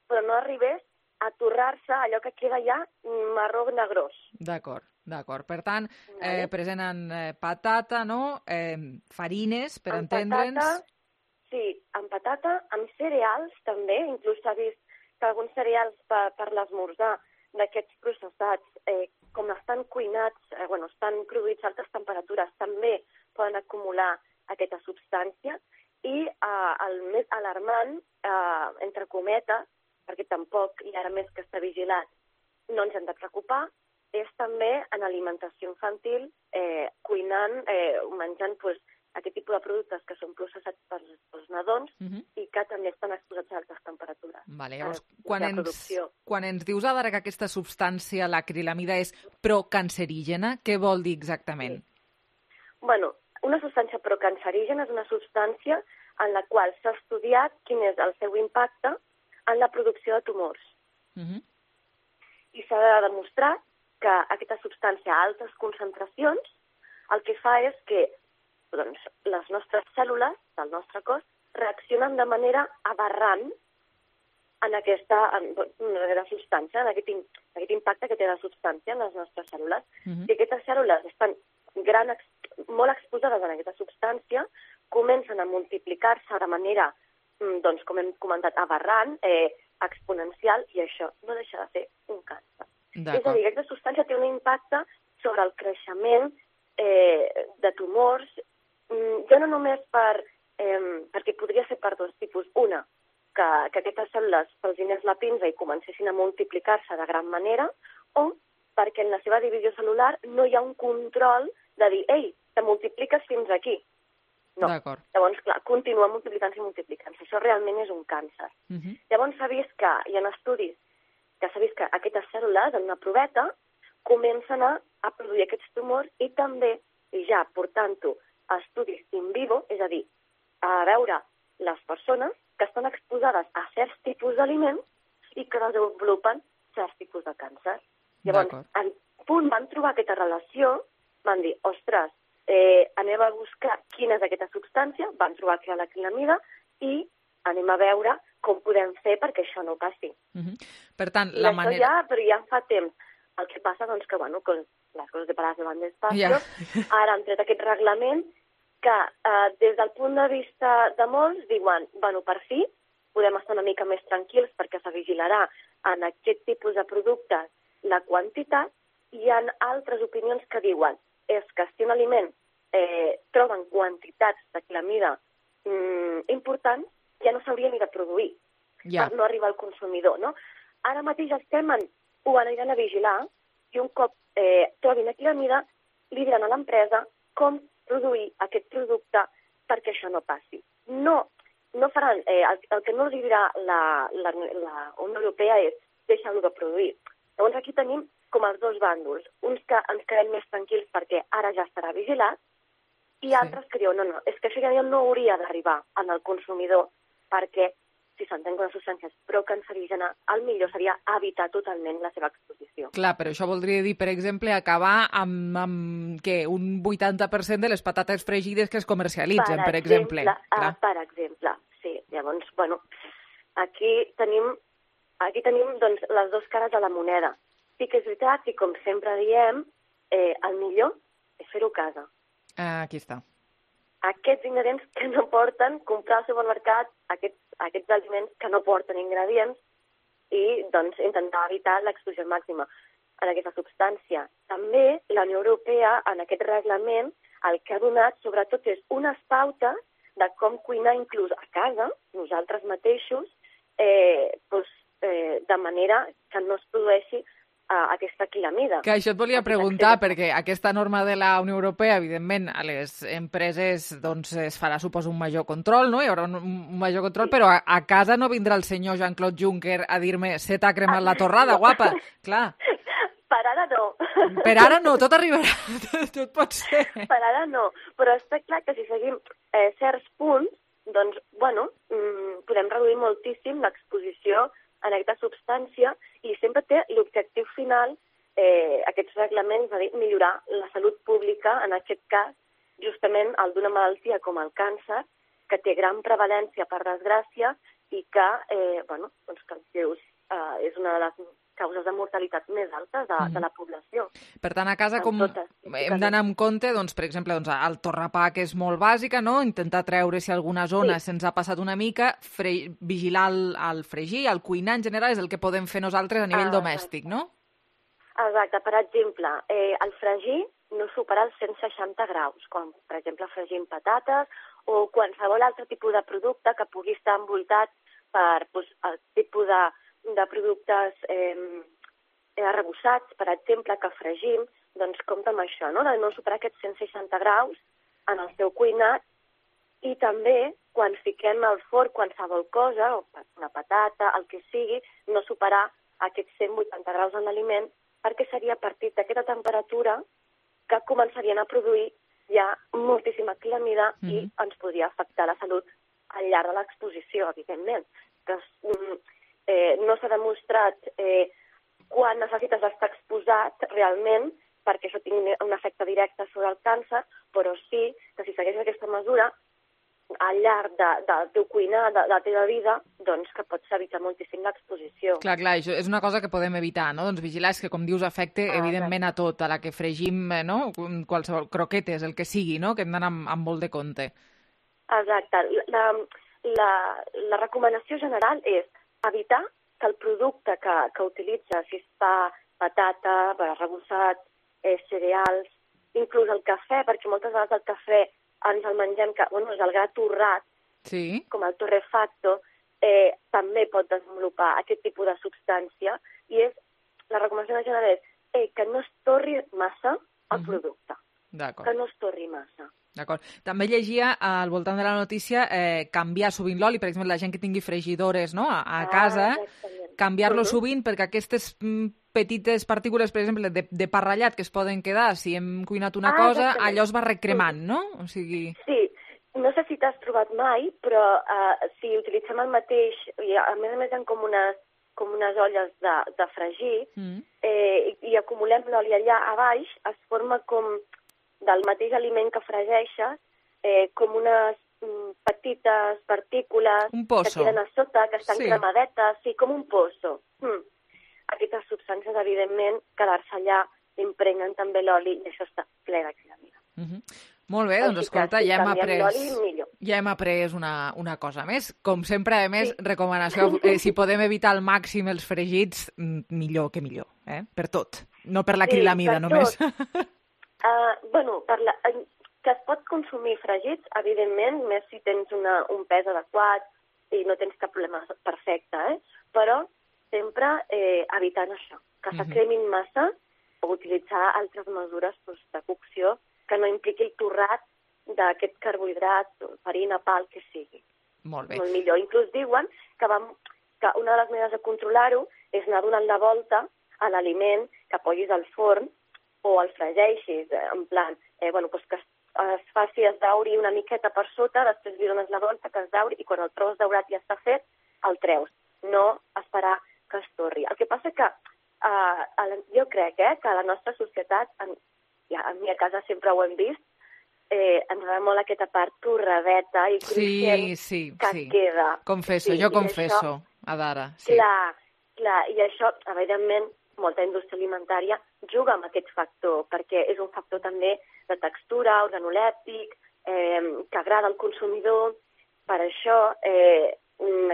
però no arribés a torrar-se allò que queda ja marró negrós. D'acord, d'acord. Per tant, eh, present en eh, patata, no?, eh, farines, per Amb entendre'ns... patata, sí, amb patata, amb cereals també, inclús s'ha vist que alguns cereals per, per l'esmorzar d'aquests processats, eh, com estan cuinats, eh, bueno, estan produïts a altes temperatures, també poden acumular aquesta substància, i eh, el més alarmant, eh, entre cometes, perquè tampoc, i ara més que està vigilat, no ens hem de preocupar, és també en alimentació infantil, eh, cuinant, eh, menjant pues, aquest tipus de productes que són processats per, pels nadons Uh -huh. i que també estan exposats a altes temperatures. Vale, llavors, eh, quan de ens, producció. quan ens dius ara que aquesta substància, l'acrilamida, és procancerígena, què vol dir exactament? Bueno, una substància procancerígena és una substància en la qual s'ha estudiat quin és el seu impacte en la producció de tumors. Uh -huh. I s'ha demostrat que aquesta substància a altes concentracions el que fa és que doncs, les nostres cèl·lules del nostre cos reaccionen de manera aberrant en aquesta, en, en aquesta substància, en aquest, aquest impacte que té la substància en les nostres cèl·lules. Uh -huh. Si aquestes cèl·lules estan gran, molt exposades a aquesta substància, comencen a multiplicar-se de manera, doncs, com hem comentat, aberrant, eh, exponencial, i això no deixa de ser un càncer. És a dir, aquesta substància té un impacte sobre el creixement eh, de tumors, ja no només per, eh, perquè podria ser per dos tipus. Una, que, que aquestes cèl·lules pelsinés la pinza i comencessin a multiplicar-se de gran manera, o perquè en la seva divisió celular no hi ha un control de dir, ei, te multipliques fins aquí. No. D'acord. Llavors, clar, continua multiplicant-se i multiplicant-se. Això realment és un càncer. Uh -huh. Llavors s'ha vist que, hi ha estudis, que s'ha vist que aquestes cèl·lules, en una proveta, comencen a, a produir aquests tumors i també, i ja portant-ho a estudis in vivo, és a dir, a veure les persones que estan exposades a certs tipus d'aliments i que desenvolupen certs tipus de càncer. Llavors, en punt van trobar aquesta relació, van dir, ostres, eh, anem a buscar quina és aquesta substància, van trobar que era l'acrilamida i anem a veure com podem fer perquè això no passi. Uh -huh. Per tant, I la això manera... ja, però ja fa temps. El que passa, doncs, que, bueno, que les coses de parades van despacio, Ja. ara han tret aquest reglament que, eh, des del punt de vista de molts, diuen, bueno, per fi, podem estar una mica més tranquils perquè se vigilarà en aquest tipus de productes la quantitat, i hi ha altres opinions que diuen és que si un aliment eh, troben quantitats d'acrilamida mm, importants, ja no s'hauria ni de produir, Ja. per no arribar al consumidor, no? Ara mateix estem en, ho aniran a vigilar, i un cop eh, trobin acrilamida, li diran a l'empresa com produir aquest producte perquè això no passi. No, no faran, eh, el, el que no els dirà la, la, la Unió Europea és deixar-ho de produir. Llavors aquí tenim com els dos bàndols, uns que ens quedem més tranquils perquè ara ja estarà vigilat, i sí. altres que diuen, no, no, és que això ja no hauria d'arribar al consumidor, perquè si s'entén que una substància és procancerígena, el millor seria evitar totalment la seva exposició. Clar, però això voldria dir, per exemple, acabar amb, amb què, un vuitanta per cent de les patates fregides que es comercialitzen, per, per exemple. Uh, per exemple, sí. Llavors, bueno, aquí tenim, aquí tenim doncs, les dues cares de la moneda. Sí que és veritat, i com sempre diem, eh, el millor és fer-ho a casa. Uh, aquí està. Aquests ingredients que no porten, comprar al supermercat aquests, aquests aliments que no porten ingredients i doncs intentar evitar l'exposició màxima. en aquesta substància. També la Unió Europea, en aquest reglament, el que ha donat, sobretot, és unes pautes de com cuinar inclús a casa, nosaltres mateixos, eh, doncs, eh, de manera que no es produeixi a aquesta quilamida. Que això et volia preguntar, perquè aquesta norma de la Unió Europea, evidentment, a les empreses doncs, es farà, suposo, un major control, no? Hi haurà un, un major control, però a, a casa no vindrà el senyor Jean-Claude Juncker a dir-me se t'ha cremat la torrada, guapa. Clar. Per ara no. Per ara no, tot arribarà, tot pot ser. Per ara no, però està clar que si seguim eh, certs punts, doncs, bueno, mmm, podem reduir moltíssim l'exposició en aquesta substància i sempre té l'objectiu final, eh, aquests reglaments, de millorar la salut pública, en aquest cas, justament el d'una malaltia com el càncer, que té gran prevalència, per desgràcia, i que, eh, bueno, doncs que els seus, eh, és una de les causes de mortalitat més altes de, mm. de la població. Per tant, a casa com totes, hem d'anar amb compte, doncs, per exemple, doncs, el torrapà, que és molt bàsica, no? Intentar treure si alguna zona sí. se'ns ha passat una mica, fre... vigilar el, el fregir, el cuinar en general, és el que podem fer nosaltres a nivell ah, domèstic, no? Exacte. Per exemple, eh, el fregir no supera els cent seixanta graus, quan, per exemple, fregim patates o qualsevol altre tipus de producte que pugui estar envoltat per doncs, el tipus de de productes eh, arrebossats, per exemple, que fregim, doncs compta amb això, no? De no superar aquests cent seixanta graus en el seu cuinat, i també quan fiquem al forn qualsevol cosa, o una patata, el que sigui, no superar aquests cent vuitanta graus en l'aliment, perquè seria a partir d'aquesta temperatura que començarien a produir ja moltíssima quilamida mm-hmm. i ens podria afectar la salut al llarg de l'exposició, evidentment. Que, Eh, no s'ha demostrat eh, quan necessites estar exposat realment perquè això tingui un efecte directe sobre el càncer, però sí que si segueixes aquesta mesura al llarg de, de, del teu cuinar, de, de la teva vida, doncs que pots evitar moltíssim l'exposició. Clar, clar, això és una cosa que podem evitar, no? Doncs vigilar és que, com dius, afecte ah, evidentment a tot, a la que fregim, no? Qualsevol croquetes, el que sigui, no? Que hem d'anar amb, amb molt de compte. Exacte. La, la, la recomanació general és evitar que el producte que, que utilitza, si es fa patata, arrebossat, eh, cereals, inclús el cafè, perquè moltes vegades el cafè ens el mengem, que, bueno, és el gra torrat, sí. com el torrefacto, eh, també pot desenvolupar aquest tipus de substància, i és, la recomanació general és eh, que no es torri massa el uh-huh. producte. D'acord. Que no es torri massa. D'acord. També llegia al voltant de la notícia eh, canviar sovint l'oli, per exemple, la gent que tingui fregidores, no? a, a casa, ah, canviar-lo uh-huh. sovint perquè aquestes mm, petites partícules, per exemple, de, de parrallat que es poden quedar si hem cuinat una ah, cosa, exactament. Allò es va recremant, no? O sigui... Sí, no sé si t'has trobat mai, però uh, si utilitzem el mateix, i a més a més hi ha com unes, com unes olles de, de fregir, mm. eh, i, i acumulem l'oli allà a baix, es forma com del mateix aliment que fregeixes, eh, com unes mm, petites partícules que queden a sota, que estan sí. cremadetes, sí, com un pozo. Mm. Aquestes substàncies, evidentment, quedar-se allà impregnen també l'oli i això està ple de quilamida. Mm-hmm. Molt bé, doncs escolta, ja hem après, ja hem après una, una cosa més. Com sempre, a més, sí. recomanació, eh, si podem evitar al màxim els fregits, millor que millor, eh? Per tot, no per la sí, quilamida només. Uh, bueno, per la, que es pot consumir fregits, evidentment, més si tens una, un pes adequat i no tens cap problema perfecte, eh? Però sempre eh, evitant això, que uh-huh. s'acremin massa o utilitzar altres mesures doncs, de cocció que no impliqui el torrat d'aquest carbohidrat, farina, pa, el que sigui. Molt bé. Molt millor. Inclús diuen que, vam, que una de les maneres de controlar-ho és anar donant la volta a l'aliment que apoyis al forn o el fregeixis, en plan, eh, bueno, doncs que es, es faci es dauri una miqueta per sota, després li dones la volta que es dauri i quan el trobes daurat ja està fet, el treus. No esperar que es torri. El que passa que eh, jo crec eh, que a la nostra societat, en, ja, a mi a casa sempre ho hem vist, eh, ens agrada molt aquesta part torradeta i cruixent sí, sí, que sí. queda. Confesso, sí, jo confesso, això, Adara. Sí. Clar, clar, i això, evidentment, molta indústria alimentària juga amb aquest factor, perquè és un factor també de textura, organolèptic, eh, que agrada al consumidor. Per això eh,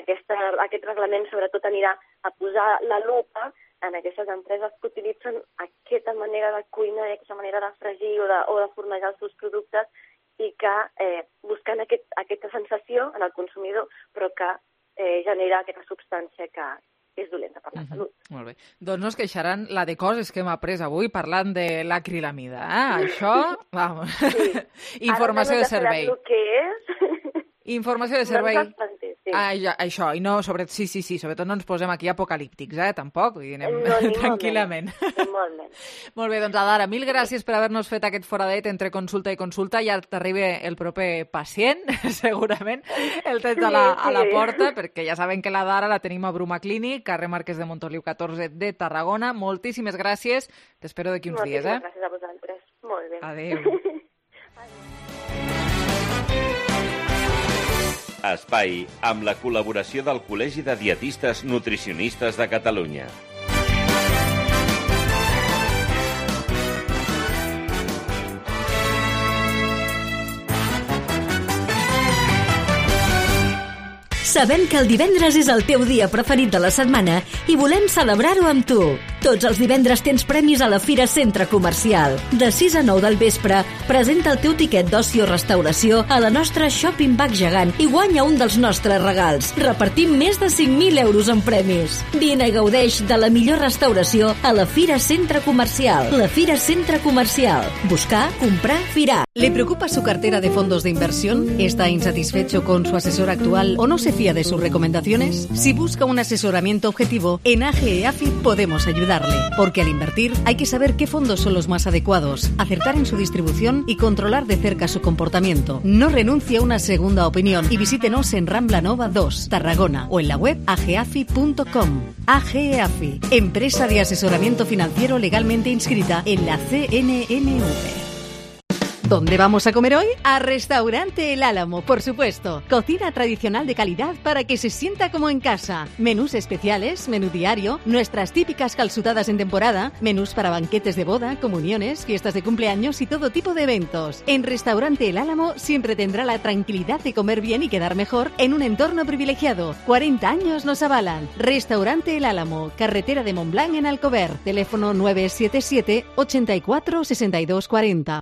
aquesta, aquest reglament sobretot anirà a posar la lupa en aquestes empreses que utilitzen aquesta manera de cuinar, aquesta manera de fregir o de, o de fornejar els seus productes i que eh, busquen aquest, aquesta sensació en el consumidor, però que eh, genera aquesta substància que és dolenta per la uh-huh. salut. Molt bé. Doncs no es queixaran la de coses que hem après avui parlant de l'acrilamida. Eh? Això, vamos. Sí. Informació de servei. Ara que és... Informació de servei. No ens sí. Ah, ja, això, i no, sobre... sí, sí, sí, sobretot no ens posem aquí apocalíptics, eh, tampoc, vull dir, anem no, tranquil·lament. Molt bé. Molt bé, doncs Adara, mil gràcies per haver-nos fet aquest foradet entre consulta i consulta, ja t'arriba el proper pacient, segurament, el tens a la, a la porta, perquè ja saben que la Dara la tenim a Bruma Clínic, carrer Marquès de Montoliu catorze de Tarragona. Moltíssimes gràcies, t'espero d'aquí uns Moltíssimes dies, eh? gràcies a vosaltres. Molt bé. Adéu. Espai amb la col·laboració del Col·legi de Dietistes Nutricionistes de Catalunya. Sabem que el divendres és el teu dia preferit de la setmana i volem celebrar-ho amb tu. Tots els divendres tens premis a la Fira Centre Comercial. De sis a nou del vespre, presenta el teu tiquet d'oci o restauració a la nostra Shopping Bag gegant i guanya un dels nostres regals. Repartim més de cinc mil euros en premis. Vine i gaudeix de la millor restauració a la Fira Centre Comercial. La Fira Centre Comercial. Buscar, comprar, firar. ¿Le preocupa su cartera de fondos de inversión? ¿Está insatisfecho con su asesor actual o no se fía de sus recomendaciones? Si busca un asesoramiento objetivo, en A G E A F I podemos ayudarle, porque al invertir hay que saber qué fondos son los más adecuados, acertar en su distribución y controlar de cerca su comportamiento. No renuncie a una segunda opinión y visítenos en Rambla Nova dos, Tarragona, o en la web a g e a f i punto com. A G E A F I, empresa de asesoramiento financiero legalmente inscrita en la C N N V. ¿Dónde vamos a comer hoy? A Restaurante El Álamo, por supuesto. Cocina tradicional de calidad para que se sienta como en casa. Menús especiales, menú diario, nuestras típicas calzutadas en temporada, menús para banquetes de boda, comuniones, fiestas de cumpleaños y todo tipo de eventos. En Restaurante El Álamo siempre tendrá la tranquilidad de comer bien y quedar mejor en un entorno privilegiado. cuarenta años nos avalan. Restaurante El Álamo, carretera de Montblanc en Alcover. Teléfono nueve siete siete, ochenta y cuatro, sesenta y dos cuarenta.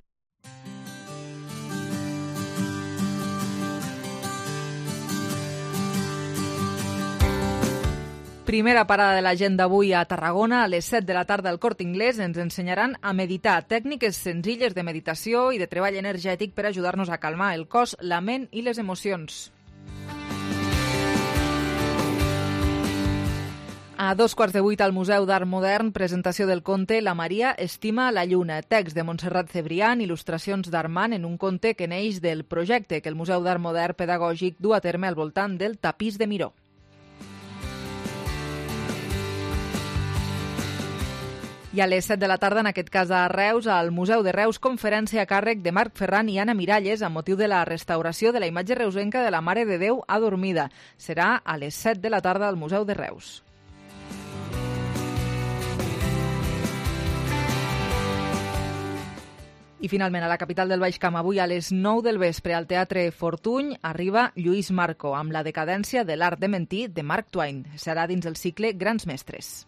Primera parada de la gent d'avui a Tarragona. A les set de la tarda al Corte Inglés ens ensenyaran a meditar, tècniques senzilles de meditació i de treball energètic per ajudar-nos a calmar el cos, la ment i les emocions. A dos quarts de vuit al Museu d'Art Modern, presentació del conte La Maria estima la lluna, text de Montserrat Cebrián, il·lustracions d'Armand en un conte que neix del projecte que el Museu d'Art Modern Pedagògic du a terme al voltant del tapís de Miró. I a les set de la tarda, en aquest cas a Reus, al Museu de Reus, conferència a càrrec de Marc Ferran i Anna Miralles amb motiu de la restauració de la imatge reusenca de la Mare de Déu adormida. Serà a les set de la tarda al Museu de Reus. I finalment, a la capital del Baix Camp, avui a les nou del vespre, al Teatre Fortuny, arriba Lluís Marco, amb la decadència de l'art de mentir de Mark Twain. Serà dins el cicle Grans Mestres.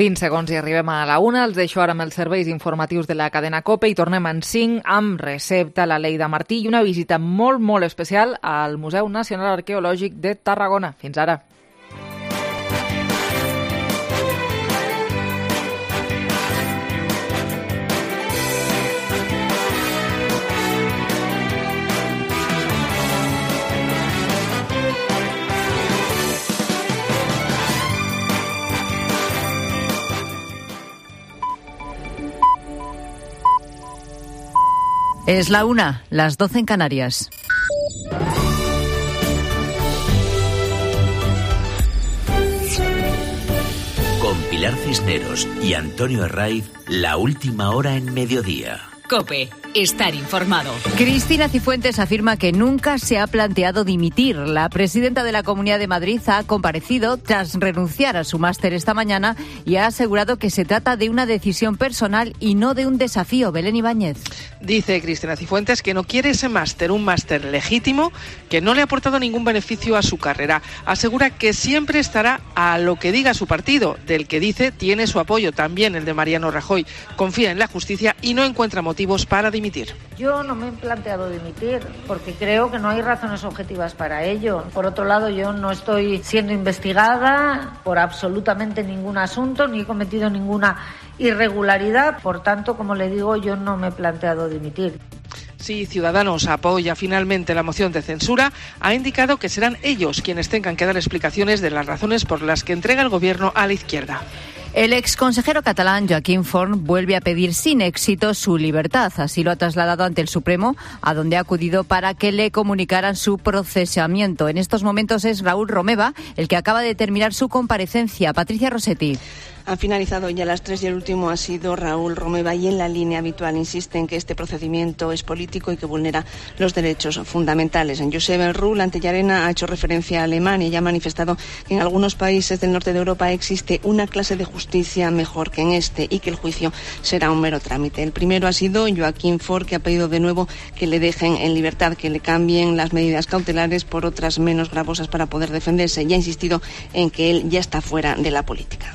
vint segons i arribem a la una. Els deixo ara amb els serveis informatius de la cadena COPE i tornem en cinc amb Recepta, la Leida Martí i una visita molt, molt especial al Museu Nacional Arqueològic de Tarragona. Fins ara. Es la una, las doce en Canarias. Con Pilar Cisneros y Antonio Herraiz, la última hora en mediodía. COPE. Estar informado. Cristina Cifuentes afirma que nunca se ha planteado dimitir. La presidenta de la Comunidad de Madrid ha comparecido tras renunciar a su máster esta mañana y ha asegurado que se trata de una decisión personal y no de un desafío. Belén Ibáñez. Dice Cristina Cifuentes que no quiere ese máster, un máster legítimo que no le ha aportado ningún beneficio a su carrera. Asegura que siempre estará a lo que diga su partido, del que dice tiene su apoyo, también el de Mariano Rajoy. Confía en la justicia y no encuentra motivos para dimitir. Yo no me he planteado dimitir porque creo que no hay razones objetivas para ello. Por otro lado, yo no estoy siendo investigada por absolutamente ningún asunto, ni he cometido ninguna irregularidad. Por tanto, como le digo, yo no me he planteado dimitir. Si Ciudadanos apoya finalmente la moción de censura, ha indicado que serán ellos quienes tengan que dar explicaciones de las razones por las que entrega el gobierno a la izquierda. El exconsejero catalán Joaquín Forn vuelve a pedir sin éxito su libertad. Así lo ha trasladado ante el Supremo, a donde ha acudido para que le comunicaran su procesamiento. En estos momentos es Raúl Romeva el que acaba de terminar su comparecencia. Patricia Rossetti. Han finalizado ya las tres y el último ha sido Raúl Romeva y en la línea habitual insiste en que este procedimiento es político y que vulnera los derechos fundamentales. En Josep Rull, ante Llarena, ha hecho referencia a Alemania y ha manifestado que en algunos países del norte de Europa existe una clase de justicia mejor que en este y que el juicio será un mero trámite. El primero ha sido Joaquín Forn, que ha pedido de nuevo que le dejen en libertad, que le cambien las medidas cautelares por otras menos gravosas para poder defenderse y ha insistido en que él ya está fuera de la política.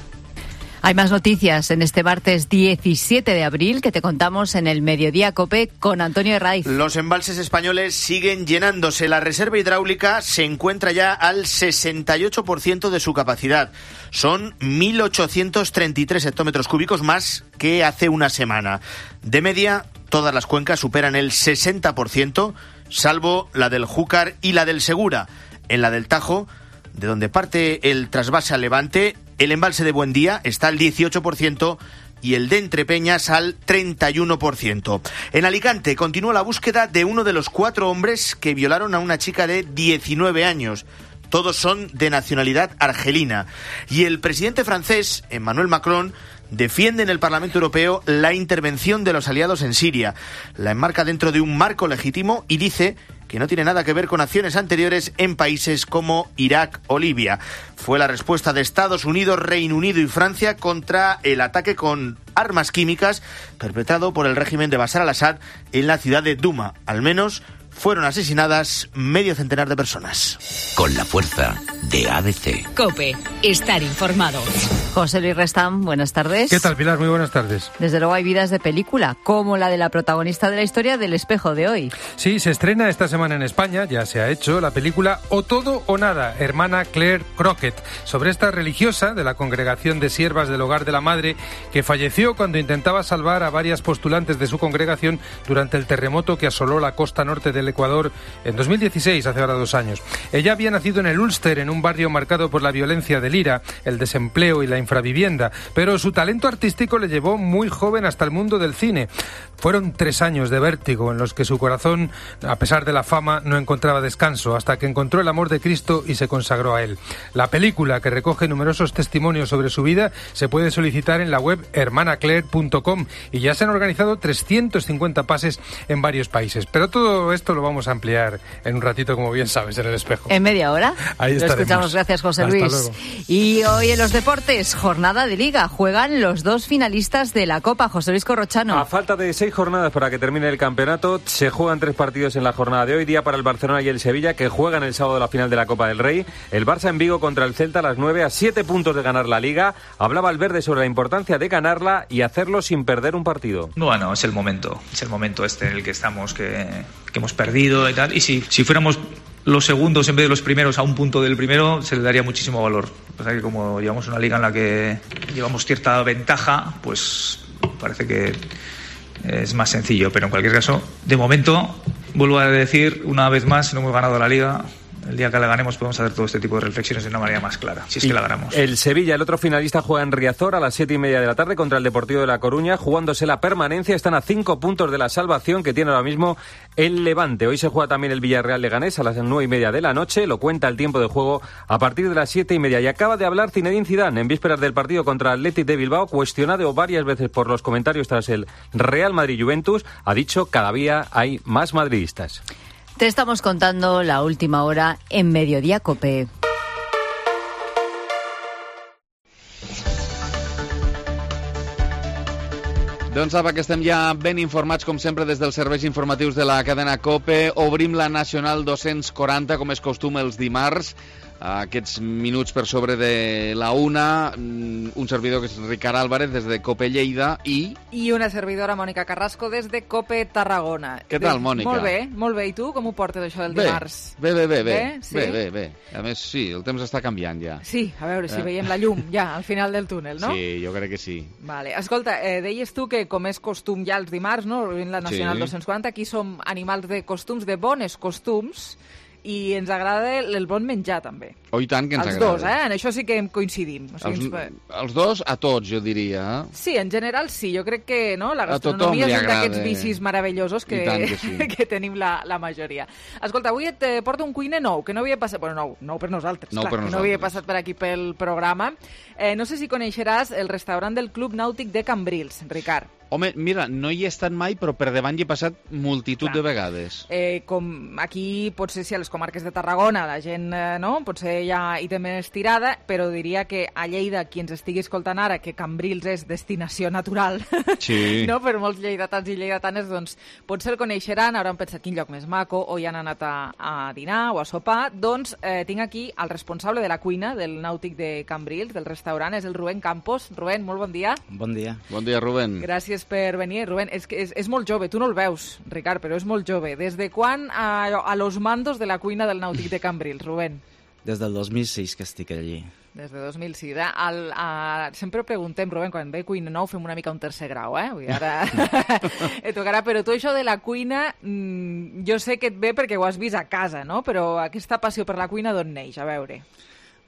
Hay más noticias en este martes diecisiete de abril que te contamos en el Mediodía COPE con Antonio Herraiz. Los embalses españoles siguen llenándose. La reserva hidráulica se encuentra ya al sesenta y ocho por ciento de su capacidad. Son mil ochocientos treinta y tres hectómetros cúbicos más que hace una semana. De media, todas las cuencas superan el sesenta por ciento, salvo la del Júcar y la del Segura. En la del Tajo, de donde parte el trasvase al Levante, el embalse de Buendía está al dieciocho por ciento y el de Entrepeñas al treinta y uno por ciento. En Alicante continúa la búsqueda de uno de los cuatro hombres que violaron a una chica de diecinueve años. Todos son de nacionalidad argelina. Y el presidente francés, Emmanuel Macron, defiende en el Parlamento Europeo la intervención de los aliados en Siria. La enmarca dentro de un marco legítimo y dice que no tiene nada que ver con acciones anteriores en países como Irak o Libia. Fue la respuesta de Estados Unidos, Reino Unido y Francia contra el ataque con armas químicas perpetrado por el régimen de Bashar al-Assad en la ciudad de Douma. Al menos fueron asesinadas medio centenar de personas. Con la fuerza de A D C. COPE. Estar informado. José Luis Restán, buenas tardes. ¿Qué tal, Pilar? Muy buenas tardes. Desde luego hay vidas de película, como la de la protagonista de la historia del Espejo de hoy. Sí, se estrena esta semana en España, ya se ha hecho, la película O todo o nada, hermana Claire Crockett, sobre esta religiosa de la Congregación de Siervas del Hogar de la Madre, que falleció cuando intentaba salvar a varias postulantes de su congregación durante el terremoto que asoló la costa norte del Ecuador en dos mil dieciséis, hace ahora dos años. Ella había nacido en el Ulster, en un barrio marcado por la violencia del IRA, el desempleo y la infravivienda, pero su talento artístico le llevó muy joven hasta el mundo del cine. Fueron tres años de vértigo en los que su corazón, a pesar de la fama, no encontraba descanso, hasta que encontró el amor de Cristo y se consagró a él. La película, que recoge numerosos testimonios sobre su vida, se puede solicitar en la web hermana claire punto com y ya se han organizado trescientos cincuenta pases en varios países. Pero todo esto lo vamos a ampliar en un ratito, como bien sabes, en El Espejo. ¿En media hora? Ahí lo escuchamos. Gracias, José Hasta Luis. Luego. Y hoy en los deportes, jornada de Liga. Juegan los dos finalistas de la Copa. José Luis Corrochano. A falta de seis jornadas para que termine el campeonato, se juegan tres partidos en la jornada de hoy. Día para el Barcelona y el Sevilla, que juegan el sábado la final de la Copa del Rey. El Barça en Vigo contra el Celta a las nueve, a siete puntos de ganar la Liga. Hablaba Valverde sobre la importancia de ganarla y hacerlo sin perder un partido. Bueno, es el momento. Es el momento este en el que estamos, que, que hemos perdido y tal. Y si, si fuéramos los segundos en vez de los primeros a un punto del primero, se le daría muchísimo valor. O sea que como llevamos una liga en la que llevamos cierta ventaja, pues parece que es más sencillo. Pero en cualquier caso, de momento, vuelvo a decir una vez más, no hemos ganado la liga el día que la ganemos podemos hacer todo este tipo de reflexiones de una manera más clara, si es que la ganamos. El Sevilla, el otro finalista, juega en Riazor a las siete y media de la tarde contra el Deportivo de La Coruña, jugándose la permanencia. Están a cinco puntos de la salvación que tiene ahora mismo el Levante. Hoy se juega también el Villarreal Leganés a las nueve y media de la noche. Lo cuenta el tiempo de juego a partir de las siete y media. Y acaba de hablar Zinedine Zidane en vísperas del partido contra el Athletic de Bilbao, cuestionado varias veces por los comentarios tras el Real Madrid-Juventus. Ha dicho: cada día hay más madridistas. Te estamos contando la última hora en Mediodía COPE. Doncs apa, que estem ja ben informats, com sempre, des dels serveis informatius de la cadena COPE. Obrim la Nacional dos-cents quaranta, com és costum, els dimarts. Aquests minuts per sobre de la una, un servidor que és Ricard Álvarez des de COPE Lleida i... I una servidora, Mònica Carrasco, des de COPE Tarragona. Què tal, Mònica? Molt bé, molt bé. I tu, com ho portes, això del dimarts? Bé, bé, bé, bé. Bé, sí? bé, bé, bé. A més, sí, el temps està canviant ja. Sí, a veure si Eh. veiem la llum ja al final del túnel, no? Sí, jo crec que sí. Vale. Escolta, eh, deies tu que com és costum ja els dimarts, no? En la Nacional Sí. dos-cents quaranta, aquí som animals de costums, de bones costums, i ens agrada el, el bon menjar, també. Oh, i tant que ens els agrada. dos, eh? En això sí que em coincidim. O sigui, Els, ens... els dos, a tots, jo diria. Sí, en general sí. Jo crec que no, la A tothom gastronomia li és un d'aquests agrada. vicis meravellosos que, I tant que sí. que tenim la, la majoria. Escolta, avui et eh, porto un cuiner nou, que no havia passat... Bueno, nou, nou per nosaltres, Nou clar, per que no havia nosaltres. passat per aquí pel programa. Eh, no sé si coneixeràs el restaurant del Club Nàutic de Cambrils, Ricard. Home, mira, no hi he estat mai, però per davant hi he passat multitud Clar. de vegades. Eh, com aquí, potser si a les comarques de Tarragona la gent, eh, no?, potser ja hi té més tirada, però diria que a Lleida, qui ens estigui escoltant ara, que Cambrils és destinació natural, Sí. no?, per molts lleidatans i lleidatanes, doncs potser el coneixeran, hauran pensat quin lloc més maco, o hi han anat a, a dinar o a sopar. Doncs eh, tinc aquí el responsable de la cuina del Nàutic de Cambrils, del restaurant, és el Rubén Campos. Rubén, molt bon dia. Bon dia. Bon dia, Rubén. Gràcies per venir. Rubén, és, que és, és molt jove, tu no el veus, Ricard, però és molt jove. Des de quan a, a los mandos de la cuina del Nàutic de Cambrils, Rubén? Des del dos mil sis que estic allí. Des de dos mil sis, eh? El, a... Sempre preguntem, Rubén, quan ve cuina nou fem una mica un tercer grau, eh? Vull dir, ara et tocarà, però tu això de la cuina, mmm, jo sé que et ve perquè ho has vist a casa, no? Però aquesta passió per la cuina d'on neix? A veure.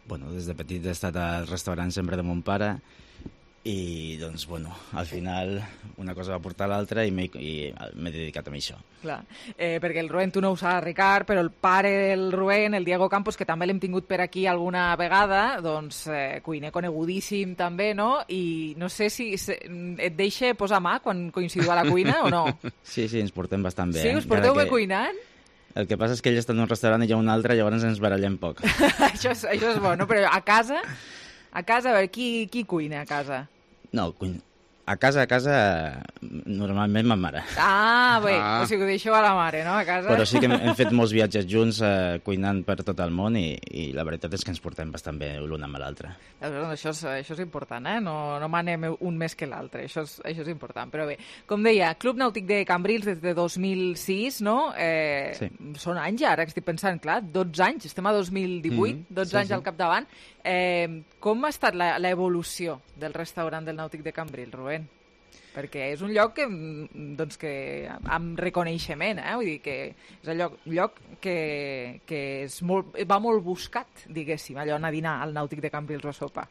Bueno, des de petit he estat al restaurant sempre de mon pare i, doncs, bueno, al final una cosa va portar a l'altra i m'he i m'he dedicat a això. Clar, eh, perquè el Rubén, tu no ho saps, Ricard, però el pare del Rubén, el Diego Campos, que també l'hem tingut per aquí alguna vegada, doncs eh, cuiner conegudíssim també, no? I no sé si se, et deixa posar mà quan coincidiu a la cuina o no? Sí, sí, ens portem bastant bé. Sí, us porteu bé cuinant? El que passa és que ell està en un restaurant i jo en un altre, llavors ens barallem poc. això, és, això és bo, no? Però a casa, a casa, a veure, qui, qui cuina a casa? No, cuina. A casa, a casa, normalment ma mare. Ah, bé, Ah. o sigui, ho deixo a la mare, no?, a casa. Però sí que hem, hem fet molts viatges junts eh, cuinant per tot el món i, i la veritat és que ens portem bastant bé l'un amb l'altre. Això és, això és important, eh? No, no manem un més que l'altre, això, és, això és important. Però bé, com deia, Club Nàutic de Cambrils des de dos mil sis, no? Eh, Sí. Són anys ja, ara que estic pensant, clar, dotze anys, estem a dos mil divuit, Mm, dotze sí, anys sí. al capdavant. Eh, com ha estat la- l'evolució del restaurant del Nàutic de Cambrils, Rubén? Perquè és un lloc que, mm, doncs que amb reconeixement, eh? Vull dir que és un lloc, un lloc que, que és molt, va molt buscat, diguéssim, allò anar a dinar al Nàutic de Cambrils o a sopar.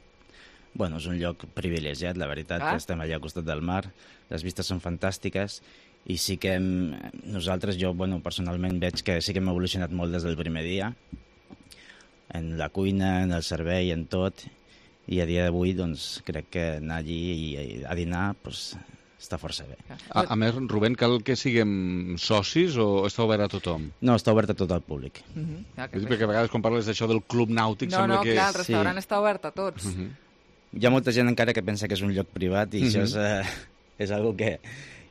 Bueno, és un lloc privilegiat, la veritat, Ah. que estem allà al costat del mar, les vistes són fantàstiques i sí que hem, nosaltres, jo bueno, personalment veig que sí que hem evolucionat molt des del primer dia, en la cuina, en el servei, en tot, i a dia d'avui doncs, crec que anar allí i, i a dinar pues, està força bé. A, a més, Rubén, cal que siguem socis o està obert a tothom? No, està obert a tot el públic. Mhm, clar que És sí. perquè a vegades quan parles d'això del club nàutic No, sembla no, que... clar, el restaurant està obert a tots. Uh -huh. Hi ha molta gent encara que pensa que és un lloc privat i uh -huh. això és, eh, és algo que,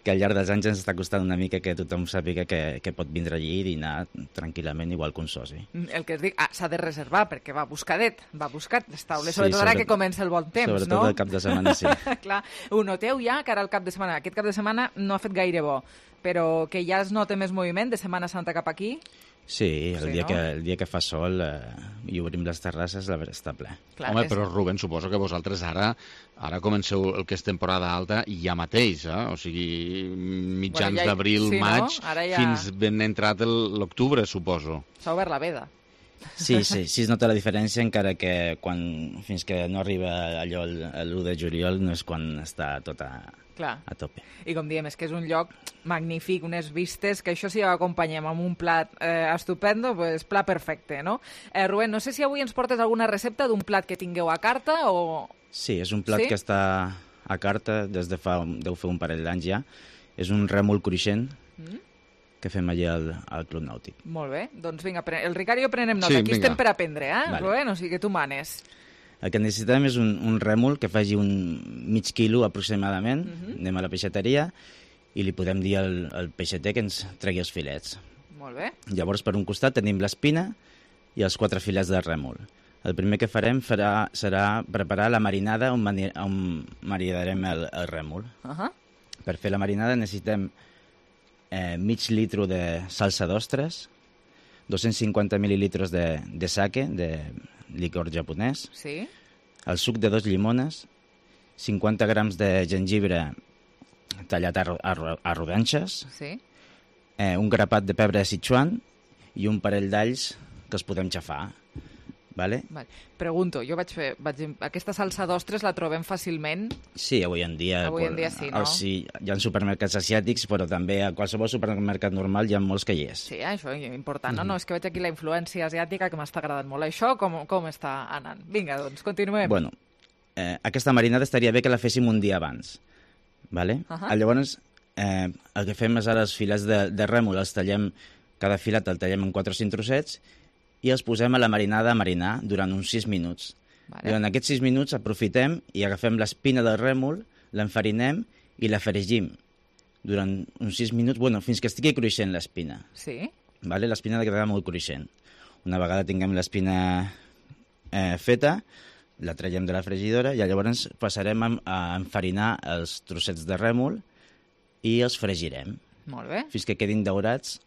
que al llarg dels anys ens està costant una mica que tothom sàpiga que, que pot vindre allí i dinar tranquil·lament igual que un soci. El que es dic, ah, s'ha de reservar, perquè va buscadet, va buscat les taules, Sí, sobretot ara sobre- que comença el bon temps, sobretot no? el cap de setmana, sí. Clar, ho noteu ja, que ara el cap de setmana, aquest cap de setmana no ha fet gaire bo, però que ja es nota més moviment de Setmana Santa cap aquí. Sí, el, Sí, dia, no? que, el dia que fa sol eh, i obrim les terrasses, la veritat està ple. Clar, Home, és- però Rubén, suposo que vosaltres ara ara comenceu el que és temporada alta i ja mateix, eh? O sigui, mitjans Bueno, ja hi- d'abril, sí, no? maig, Ara ja- fins ben entrat el- l'octubre, suposo. S'ha obert la veda. Sí, sí, sí es nota la diferència, encara que quan, fins que no arriba allò l'u de juliol no és quan està tot a, Clar. a tope. I com diem, és que és un lloc magnífic, unes vistes, que això si ho acompanyem amb un plat eh, estupendo, pues plat perfecte, no? Eh, Rubén, no sé si avui ens portes alguna recepta d'un plat que tingueu a carta o... Sí, és un plat sí? que està a carta des de fa, deu fer un parell d'anys ja. És un rèmol cruixent mm. que fem allà al, al Club Nàutic. Molt bé, doncs vinga, el Ricard i jo prenem nota. Sí, Aquí vinga. estem per aprendre, eh, Vale. Rubén? O sigui que tu manes. El que necessitem és un, un rèmol que faci un mig quilo aproximadament. Mhm. Mm-hmm. Anem a la peixateria i li podem dir al, al peixater que ens tregui els filets. Molt bé. Llavors, per un costat tenim l'espina i els quatre filets de rèmol. El primer que farem farà, serà preparar la marinada on, mani, on maridarem el, el rèmol. Uh -huh. Per fer la marinada necessitem eh, mig litro de salsa d'ostres, dos-cents cinquanta mil·lilitres de, de sake, de licor japonès, Sí. el suc de dos llimones, cinquanta grams de gengibre tallat a, ro- a, ro- a rodanxes, Sí. eh, un grapat de pebre de Sichuan i un parell d'alls que els podem xafar. Vale? Vale. Pregunto, jo vaig fer... Vaig, aquesta salsa d'ostres la trobem fàcilment? Sí, avui en dia... Avui en dia sí, no? El, sí, hi ha supermercats asiàtics, però també a qualsevol supermercat normal hi ha molts que hi és. Sí, això és important. Mhm. No, no, és que veig aquí la influència asiàtica que m'està agradant molt. Això com, com està anant? Vinga, doncs, continuem. Bueno, eh, aquesta marinada estaria bé que la féssim un dia abans. Vale? Ahà. Uh-huh. Llavors, eh, el que fem és ara els filets de, de rèmol, els tallem, cada filet el tallem en quatre o cinc trossets i els posem a la marinada a marinar durant uns sis minuts. Vale. Durant aquests sis minuts aprofitem i agafem l'espina del rèmol, l'enfarinem i la fregim durant uns sis minuts, bueno, fins que estigui cruixent l'espina. Sí. Vale? L'espina ha de quedar molt cruixent. Una vegada tinguem l'espina eh, feta, la traiem de la fregidora i llavors passarem a, a enfarinar els trossets de rèmol i els fregirem. Molt bé. Fins que quedin daurats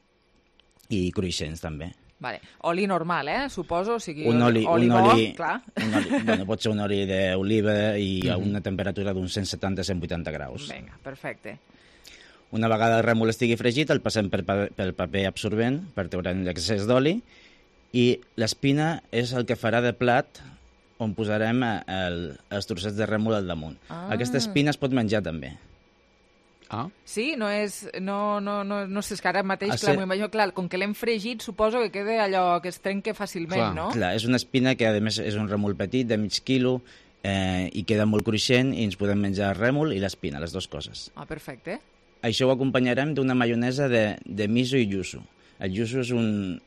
i cruixents també. Vale. Oli normal, eh? Suposo, o sigui, Un oli, oli un bo, oli, clar. un oli, bueno, pot ser un oli d'oliva i a Mhm. una temperatura d'uns cent setanta a cent vuitanta graus. Vinga, perfecte. Una vegada el rèmol estigui fregit, el passem per, pa- pel paper absorbent per treure l'excés d'oli i l'espina és el que farà de plat on posarem eh, el, els trossets de rèmol al damunt. Ah. Aquesta espina es pot menjar també. Ah. Sí, no és... No, no, no, no sé, és que ara mateix, Ha clar, ser- m'ho imagino, clar, com que l'hem fregit, suposo que queda allò que es trenque fàcilment, no? Clar, és una espina que a més és un rèmol petit, de mig quilo, eh, i queda molt cruixent i ens podem menjar el rèmol i l'espina, les dues coses. Ah, perfecte. Això ho acompanyarem d'una maionesa de, de miso i yuzu. El yuzu és un...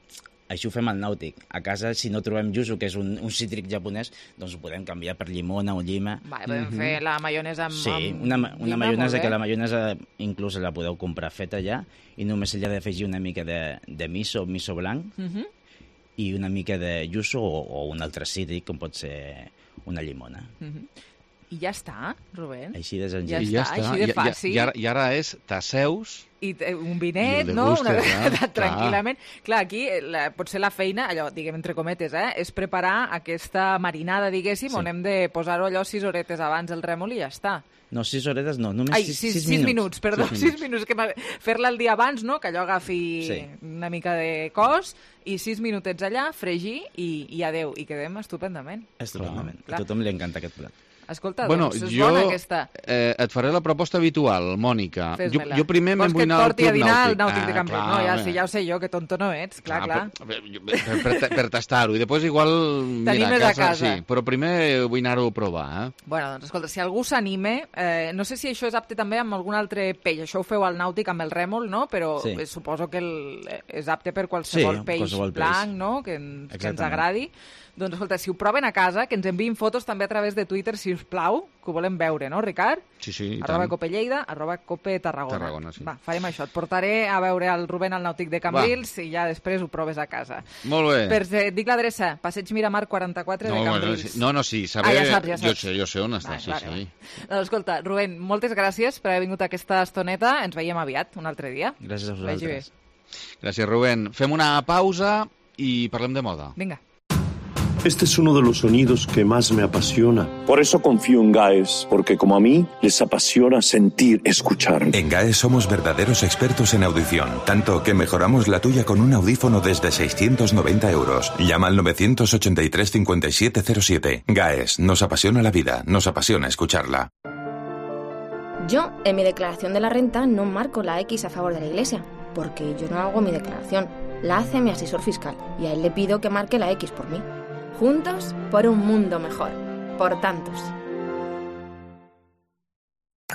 Això ho fem al nàutic. A casa, si no trobem yuzu, que és un, un cítric japonès, doncs ho podem canviar per llimona o llima. Vale, podem Mhm. fer la maionesa amb... Sí, amb una, ma- una llima, maionesa molt que bé. la maionesa inclús la podeu comprar feta ja i només li ha d'afegir una mica de, de miso, miso blanc, Mhm. i una mica de yuzu o, o un altre cítric, com pot ser una llimona. Mhm. I ja està, Rubén. Així de senzill. Ja I ja està, està. així de I, fàcil. i, i, ara, I ara és t'asseus... I eh, un vinet, I el no? Una degustes, vegada clar, tranquil·lament. Clar, aquí eh, la, potser la feina, allò, diguem entre cometes, eh, és preparar aquesta marinada, diguéssim, Sí. on hem de posar-ho allò sis horetes abans el rèmol i ja està. No, sis horetes no, només Ai, sis, sis, sis, sis minuts. minuts, perdó, Sis sis minuts. Que m'ha- fer-la el dia abans, no?, que allò agafi Sí. una mica de cos, i sis minutets allà, fregir, i, i adeu, i quedem estupendament. Estupendament. Clar. A tothom li encanta aquest plat. Escolta, Bueno, doncs és jo bona aquesta. eh, et faré la proposta habitual, Mònica. Jo, Fes-me-la. jo primer Vols me'n vull que et anar al porti a Club dinar al Nàutic. Nàutic de Ah, Cambrils? clar, No, ja, home. sí, ja ho sé jo, que tonto no ets, clar, clar. Per, per, per, per tastar-ho. I després igual... Mira, T'animes a casa. Sí, però primer vull anar-ho a provar, eh? Bueno, doncs escolta, si algú s'anime, eh, no sé si això és apte també amb algun altre peix, això ho feu al nàutic amb el rèmol, no? Però Sí. eh, suposo que el, eh, és apte per qualsevol Sí, peix qualsevol peix. blanc, no? Que, ens, que ens Exactament. agradi. Doncs escolta, si ho proven a casa, que ens enviïn fotos també a través de Twitter, si us plau, que ho volem veure, no, Ricard? Sí, sí, i Arroba tant. Cope Lleida, arroba Cope Tarragona. Tarragona, sí. Va, farem això. Et portaré a veure el Rubén al nàutic de Cambrils i ja després ho proves a casa. Molt bé. Per, eh, dic l'adreça, Passeig Miramar quaranta-quatre No, de bueno, Cambrils. sí. no, no, sí, saber... Ah, ja saps, ja Jo saps. sé, jo sé on està, Vale, sí, vale, sí. vale. Doncs escolta, Rubén, moltes gràcies per haver vingut a aquesta estoneta. Ens veiem aviat, un altre dia. Gràcies a Vagi bé. vosaltres. Gràcies, Rubén. Fem una pausa i parlem de moda. Vinga. Este es uno de los sonidos que más me apasiona. Por eso confío en GAES, porque como a mí, les apasiona sentir, escuchar. En GAES somos verdaderos expertos en audición, tanto que mejoramos la tuya con un audífono desde seiscientos noventa euros. Llama al nueve ocho tres cincuenta y siete cero siete. GAES, nos apasiona la vida, nos apasiona escucharla. Yo, en mi declaración de la renta, no marco la X a favor de la Iglesia, porque yo no hago mi declaración. La hace mi asesor fiscal, y a él le pido que marque la X por mí. Juntos por un mundo mejor. Por tantos.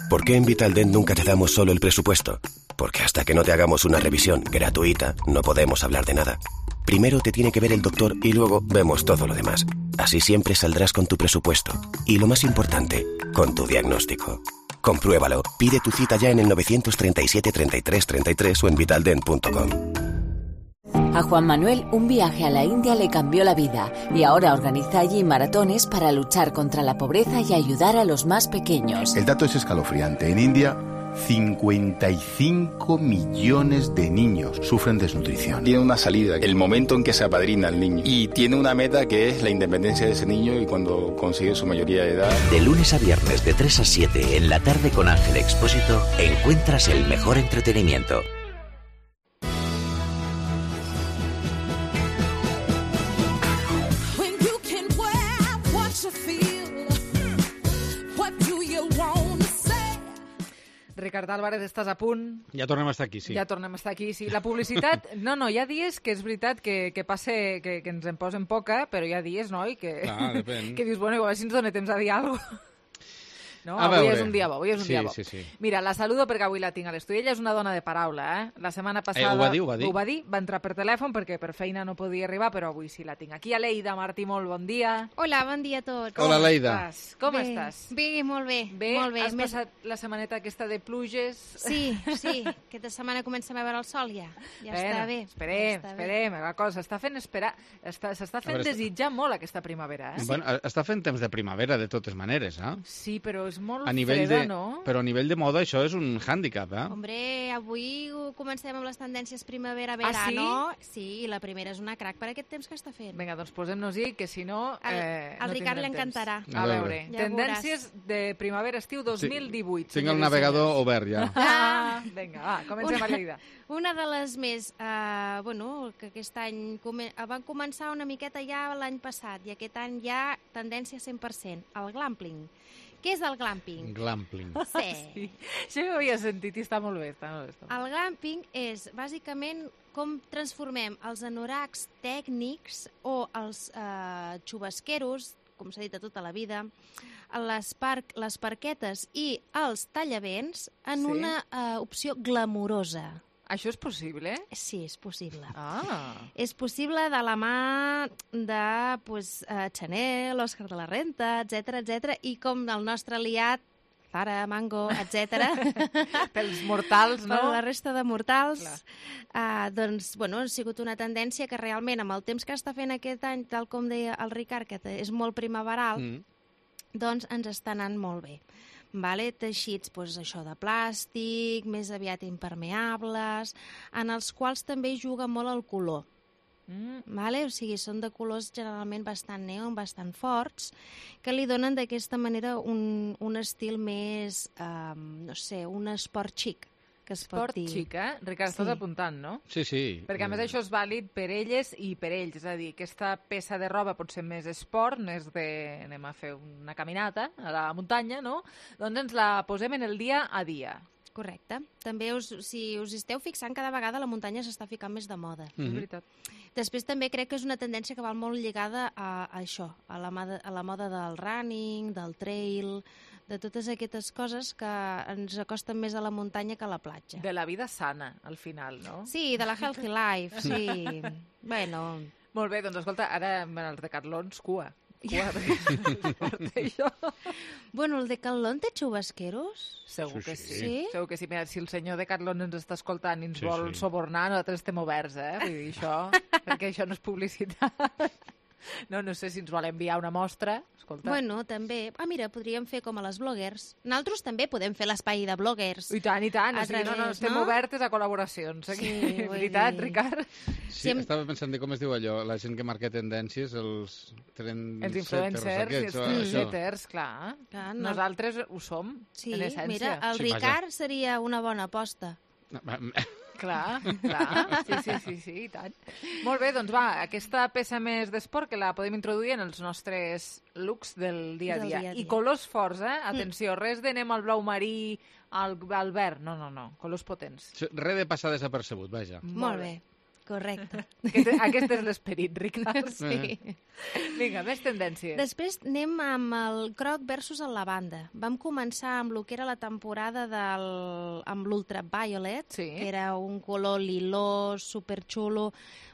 ¿Por qué en Vitaldent nunca te damos solo el presupuesto? Porque hasta que no te hagamos una revisión gratuita, no podemos hablar de nada. Primero te tiene que ver el doctor y luego vemos todo lo demás. Así siempre saldrás con tu presupuesto. Y lo más importante, con tu diagnóstico. Compruébalo. Pide tu cita ya en el nueve tres siete, treinta y tres treinta y tres o en vitaldent punto com. A Juan Manuel un viaje a la India le cambió la vida y ahora organiza allí maratones para luchar contra la pobreza y ayudar a los más pequeños. El dato es escalofriante. En India, cincuenta y cinco millones de niños sufren desnutrición. Tiene una salida, el momento en que se apadrina al niño. Y tiene una meta que es la independencia de ese niño y cuando consigue su mayoría de edad. De lunes a viernes de tres a siete en la tarde con Ángel Expósito encuentras el mejor entretenimiento. Ricard Álvarez, estàs a punt? Ja tornem a estar aquí, sí. Ja tornem a estar aquí, sí. La publicitat... No, no, hi ha dies que és veritat que, que passe, que, que ens en posen poca, però hi ha dies, noi, que, Clar, depèn. que dius, bueno, igual si ens dona temps a dir alguna cosa. No, A avui veure. és un dia bo, avui és un Sí, dia bo. sí, sí. Mira, la saludo perquè avui la tinc a l'estudi. Ella és una dona de paraula, eh? La setmana passada... Eh, ho va dir, ho va dir. Ho va dir, va entrar per telèfon perquè per feina no podia arribar, però avui sí la tinc. Aquí a Leida Martí, molt bon dia. Hola, bon dia a tots. Hola, Leida. Estàs? Com bé, estàs? Bé, molt bé. Bé? Molt bé. Has Més... passat la setmaneta aquesta de pluges? Sí, sí. Aquesta setmana comencem a veure el sol ja. Ja Bueno, està bé. Esperem, ja està esperem. La cosa s'està fent esperar, està, s'està fent A veure, desitjar molt aquesta primavera, eh? Bueno, està fent temps de primavera, de totes maneres, eh? Sí, però és molt A nivell freda, de, no? però a nivell de moda això és un hàndicap, eh? Hombre, avui comencem amb les tendències primavera-verano. Ah, sí? Sí, i la primera és una crac per aquest temps que està fent. Vinga, doncs posem-nos-hi, que si no... Eh, al no Ricard tindrem li encantarà. temps. A veure, Ja tendències de primavera-estiu dos mil divuit. Tinc el navegador obert ja. Ah, vinga, va, comencem a Lleida. Una de les més, eh, bueno, que aquest any come, van començar una miqueta ja l'any passat i aquest any ja tendència cent per cent, el glamping. Què és el glamping? Glamping. Sí. sí. Això ho havia sentit i està molt bé. Està molt bé, està molt bé. El glamping és, bàsicament, com transformem els anoracs tècnics o els eh, xubasqueros, com s'ha dit a tota la vida, les, par les parquetes i els tallavents en Sí. una eh, opció glamurosa. Això és possible? Sí, és possible. Ah. És possible de la mà de pues, uh, Chanel, Òscar de la Renta, etcètera, etcètera, i com el nostre aliat, Zara, Mango, etcètera. Pels mortals, no? Per la resta de mortals. Uh, doncs, bueno, ha sigut una tendència que realment, amb el temps que està fent aquest any, tal com deia el Ricard, que és molt primaveral, mm. doncs ens està anant molt bé. Vale? Teixits, doncs, això de plàstic, més aviat impermeables, en els quals també juga molt el color. Mm. Vale? O sigui, són de colors generalment bastant neon, bastant forts, que li donen d'aquesta manera un, un estil més, um, no sé, un esport xic, que es Esport pot dir. xic, eh? Ricard, Sí. estàs apuntant, no? Sí, sí. Perquè a més això és vàlid per elles i per ells, és a dir, aquesta peça de roba pot ser més esport, més de... anem a fer una caminata a la muntanya, no? Doncs ens la posem en el dia a dia. Correcte. També, us, si us esteu fixant, cada vegada la muntanya s'està ficant més de moda. Mm -hmm. És veritat. Després també crec que és una tendència que va molt lligada a, a això, a la, moda, a la moda del running, del trail, de totes aquestes coses que ens acosten més a la muntanya que a la platja. De la vida sana, al final, no? Sí, de la healthy life, sí. Bueno... Molt bé, doncs escolta, ara els decatlons, cua. Cua, perquè això... Bueno, el Decathlon té xubasqueros? Segur Sí, que sí. sí. Sí? Segur que sí. Mira, si el senyor Decathlon ens està escoltant i ens Sí, vol sí. subornar, nosaltres estem oberts, eh? Vull dir, això, perquè això no és publicitat. No, no sé si ens vol enviar una mostra. Escolta. Bueno, també. Ah, mira, podríem fer com a les bloggers. Nosaltres també podem fer l'espai de bloggers. I tant, i tant. A O sigui, no, no, través, estem no? obertes a col·laboracions. Sí, vull Veritat, dir- Ricard? Sí, estava pensant de com es diu allò, la gent que marca tendències, els trend Els influencers i els això, trendsetters, clar. Clar, no. Nosaltres ho som, Sí, en essència. mira, el Sí, vaja. Ricard seria una bona aposta. Clar, clar, sí, sí, sí, sí, i tant. Molt bé, doncs va, aquesta peça més d'esport que la podem introduir en els nostres looks del dia a Del dia. dia a dia. I colors forts, eh? Atenció, res d'anem al blau marí, al, al verd, no, no, no, colors potents. Res de passar desapercebut, vaja. Molt bé, correcte. Aquest, aquest és l'esperit, Ricard. Sí. Vinga, més tendències. Després anem amb el groc versus el lavanda. Vam començar amb el que era la temporada del, amb l'ultraviolet, Sí. que era un color lilós, superxulo,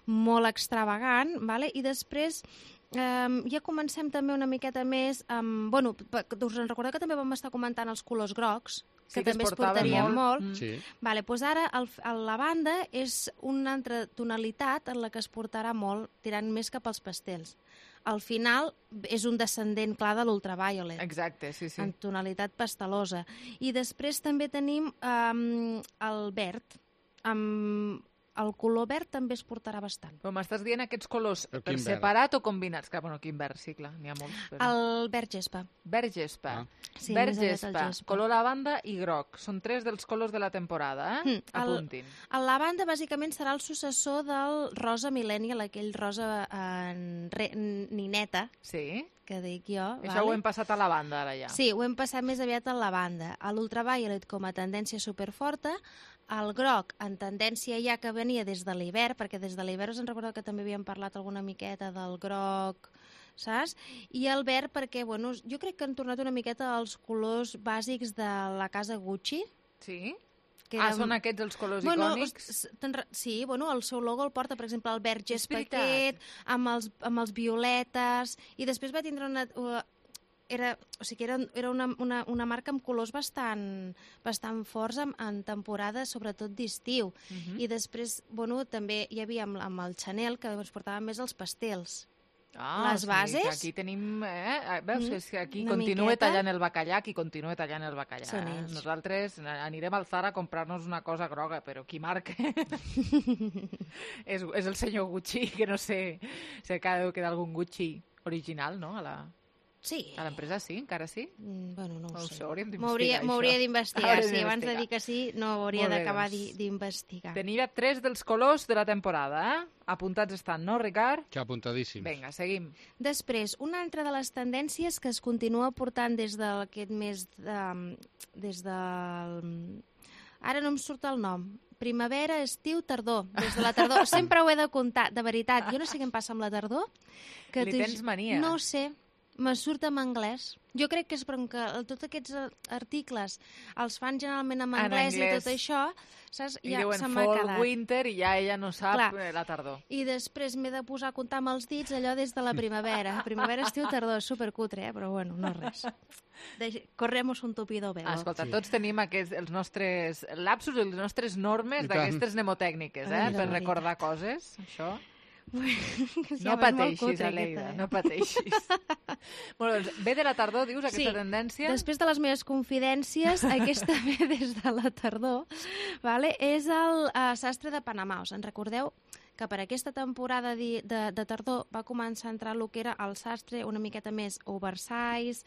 molt extravagant, vale? I després Um, ja comencem també una miqueta més amb... Bueno, pe- us en recordeu que també vam estar comentant els colors grocs, Sí, que que es també es portaven portarien molt. molt. Mm. Sí. Vale, doncs ara el, el lavanda és una altra tonalitat en la que es portarà molt, tirant més cap als pastels. Al final és un descendent clar de l'ultraviolet. Exacte, sí, sí. En tonalitat pastelosa. I després també tenim um, el verd. Amb el color verd també es portarà bastant. Però m'estàs dient aquests colors Però per quin verd? separat o combinats? Clar, bueno, quin verd, sí, clar, n'hi ha molts. Però... El verd gespa. Verd gespa. Ah. Sí, verd més aviat el gespa, gespa. color lavanda i groc. Són tres dels colors de la temporada, eh? Mm, el- Apuntin. El lavanda bàsicament serà el successor del rosa millennial, aquell rosa en re, nineta, Sí? que dic jo. Això ho hem passat a lavanda, ara ja. Sí, ho hem passat més aviat a lavanda. A l'ultraviolet com a tendència superforta, el groc en tendència ja que venia des de l'hivern, perquè des de l'hivern us en recordeu que també havíem parlat alguna miqueta del groc, saps? I el verd perquè, bueno, jo crec que han tornat una miqueta als colors bàsics de la casa Gucci. Sí? Que Ah, eren- són aquests els colors bueno, icònics? s- te'n re- Sí, bueno, el seu logo el porta, per exemple, el verd gespa veritat. aquest, amb els, amb els violetes, i després va tindre una... uh, Era, o sigui, era, era una, una, una marca amb colors bastant, bastant forts en, en temporada, sobretot d'estiu. Mhm. I després, bueno, també hi havia amb, amb el Chanel, que ens portaven més els pastels. Ah, les sí, bases... que aquí tenim... Eh? Veus, Mm, és que aquí una continua miqueta. tallant el bacallà, qui continua tallant el bacallà. Són eh? ells. Nosaltres anirem al Zara a comprar-nos una cosa groga, però qui marca és, és el senyor Gucci, que no sé si acaba de quedar algun Gucci original, no? A la... Sí. A l'empresa sí, encara sí? Mm, bueno, no ho No ho sé. sé, hauríem M'hauria d'investigar, m'hauria això. d'investigar, Hauríem sí. Abans de d'investigar. dir que sí, no hauria Molt bé, d'acabar doncs. di- d'investigar. Tenia tres dels colors de la temporada, eh? Apuntats estan, no, Ricard? Que apuntadíssims. Vinga, seguim. Després, una altra de les tendències que es continua portant des d'aquest mes de, des del... Ara no em surt el nom. Primavera, estiu, tardor. Des de la tardor. Sempre ho he de comptar, de veritat. Jo no sé què em passa amb la tardor. Li t'ho tens ju- mania. No ho sé. Me surt en anglès. Jo crec que és perquè tots aquests eh, articles els fan generalment en En anglès, anglès. i tot això, saps? I Ja diuen se m'ha fall, quedat. winter, i ja ella no sap Clar. eh, la tardor. I després m'he de posar a comptar amb els dits allò des de la primavera. Primavera, estiu, tardor, és supercutre, eh? Però bueno, no res. De... Corremos un tupido velo. Ah, escolta, tots tenim aquests, els nostres lapsus, les nostres normes I tant. d'aquestes mnemotècniques, eh? Ai, la per veritat. recordar coses, això. Sí, No home, és molt pateixis, cutre, Aleida, aquesta, eh? no pateixis. Bueno, doncs, ve de la tardor, dius, aquesta Sí. tendència? Després de les meves confidències, aquesta ve des de la tardor, vale? És el uh, sastre de Panamà. Us en recordeu que per aquesta temporada de, de, de tardor va començar a entrar el que era el sastre una miqueta més oversize,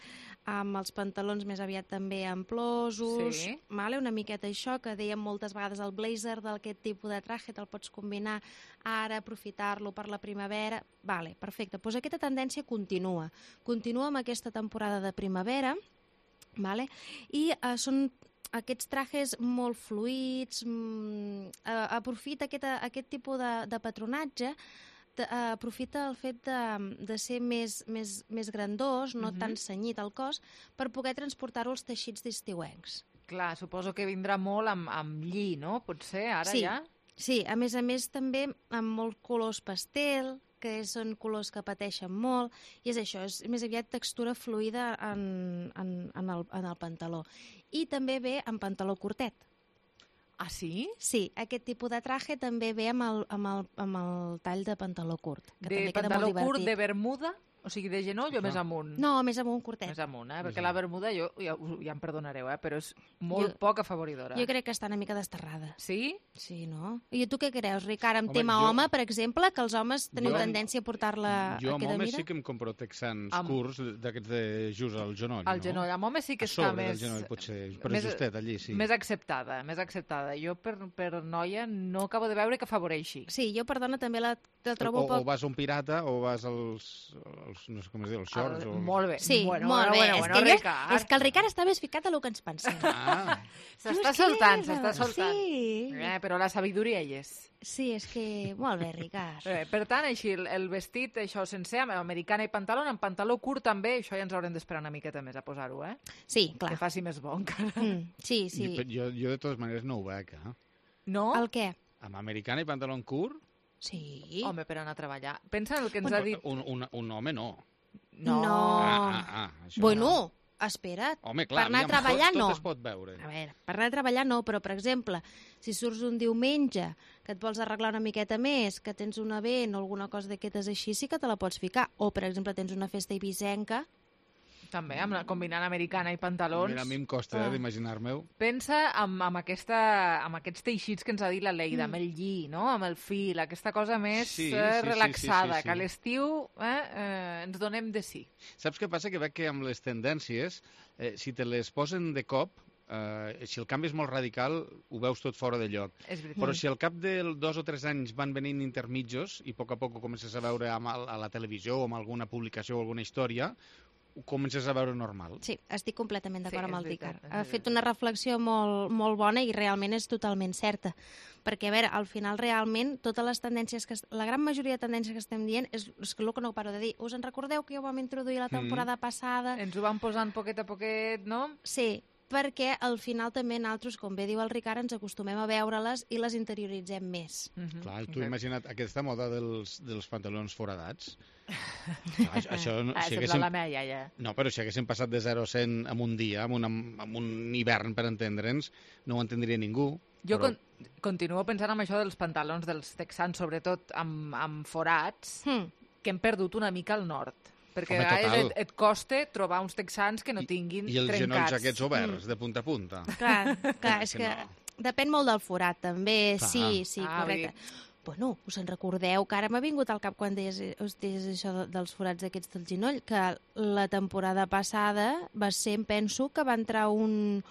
amb els pantalons més aviat també amplosos, Sí. vale? Una miqueta això, que dèiem moltes vegades el blazer d'aquest tipus de traje, te'l pots combinar ara, aprofitar-lo per la primavera. Vale, perfecte. Doncs aquesta tendència continua. Continua amb aquesta temporada de primavera, vale? I uh, són aquests trajes molt fluïts, mm, uh, aprofita aquest, aquest tipus de, de patronatge, de, uh, aprofita el fet de, de ser més, més, més grandós, no Mhm. tan cenyit al cos, per poder transportar-ho als teixits d'estiuencs. Clar, suposo que vindrà molt amb, amb lli, no? Potser, ara sí, ja? Sí, a més a més també amb molts colors pastel, que són colors que pateixen molt, i és això, és més aviat textura fluida en, en, en, el, en el pantaló. I també ve en pantaló curtet. Ah, sí? Sí, aquest tipus de traje també ve amb el, amb el, amb el tall de pantaló curt. Que De també queda pantaló molt curt, divertit. de bermuda? O sigui, de genoll o més amunt? No, més amunt, curtet. Més amunt, eh? Perquè la bermuda, jo, ja, ja em perdonareu, eh? Però és molt Jo- poc afavoridora. Jo crec que està una mica desterrada. Sí? Sí, no? I tu què creus, Ricard, amb Home, tema jo- home, per exemple, que els homes teniu Jo- tendència a portar-la Jo a amb queda homes mida? sí que em compro texans Amb- curts d'aquests de just al genoll, Al no? genoll. Amb homes sí que A està sobre més... del genoll, potser, però més- justet allí, sí. Més acceptada, més acceptada. Jo per, per noia no acabo de veure que afavoreixi. Sí, jo, perdona, també la, la O, trobo o poc... vas a un pirata o vas als, als no sé com es diu, els shorts. El- o... molt bé. Sí, bueno, molt bueno, bé. bueno, és, bueno, que jo, Ricard. és que el Ricard està més ficat del que ens pensem. Ah. S'està és que soltant, és, s'està soltant. sí. Eh, però la sabidoria hi és. Sí, és que... Molt bé, Ricard. Eh, per tant, així, el, el vestit, això sencer, amb americana i pantaló, amb pantaló curt també, això ja ens haurem d'esperar una miqueta més a posar-ho, eh? Sí, clar. Que faci més bo encara. Mm, sí, sí. Jo, jo, jo de totes maneres no ho veig, eh? No? El què? Amb americana i pantaló curt? Sí. Home, per anar a treballar. Pensa en el que ens Bueno, ha dit... Un, un, un home no. No. No. Ah, ah, ah, això Bueno, no. espera't. Home, clar, per anar a aviam, treballar tot, no. tot es pot veure. A veure, per anar a treballar no, però, per exemple, si surts un diumenge, que et vols arreglar una miqueta més, que tens un event o alguna cosa d'aquestes així, sí que te la pots ficar. O, per exemple, tens una festa ibisenca. També, amb la, combinant americana i pantalons. Mira, a mi em costa Ah. eh, d'imaginar-me-ho. Pensa amb, amb, aquesta, amb aquests teixits que ens ha dit la Leida, Mm. amb el lli, no? amb el fil, aquesta cosa més Sí, eh, sí, sí, relaxada, sí, sí, sí. que a l'estiu eh, eh, ens donem de sí. Saps què passa? Que veig que amb les tendències, eh, si te les posen de cop, eh, si el canvi és molt radical, ho veus tot fora de lloc. És veritat. Però si al cap de dos o tres anys van venint intermitjos i a poc a poc ho comences a veure amb el, a la televisió o amb alguna publicació o alguna història, ho comences a veure normal. Sí, estic completament d'acord Sí, amb és el veritat, Ricard. és Ha veritat. fet una reflexió molt, molt bona i realment és totalment certa. Perquè, a veure, al final realment totes les tendències, que la gran majoria de tendències que estem dient és, és el que no paro de dir. Us en recordeu que ja ho vam introduir la temporada Mm. passada? Ens ho van posant poquet a poquet, no? Sí, perquè al final també nosaltres, com bé diu el Ricard, ens acostumem a veure-les i les interioritzem més. Mm-hmm. Clar, tu imagina't aquesta moda dels, dels pantalons foradats. Clar, això, això, no, Ah, si sembla haguéssim, la meva iaia. no, però si haguéssim passat de zero a cent en un dia, en un, en un hivern, per entendre'ns, no ho entendria ningú. Jo però... con continuo pensant en això dels pantalons dels texans, sobretot amb, amb forats, mm. que hem perdut una mica al nord. Perquè Home, a vegades total. et, et costa trobar uns texans que no tinguin I els trencats. genolls aquests oberts, de punta a punta. Clar, clar, és que que no. depèn molt del forat, també. Clar. Sí, sí, Ah, correcte. Bueno, us en recordeu que ara m'ha vingut al cap quan deies, us deies això de- dels forats aquests del genoll, que la temporada passada va ser, em penso, que va entrar un,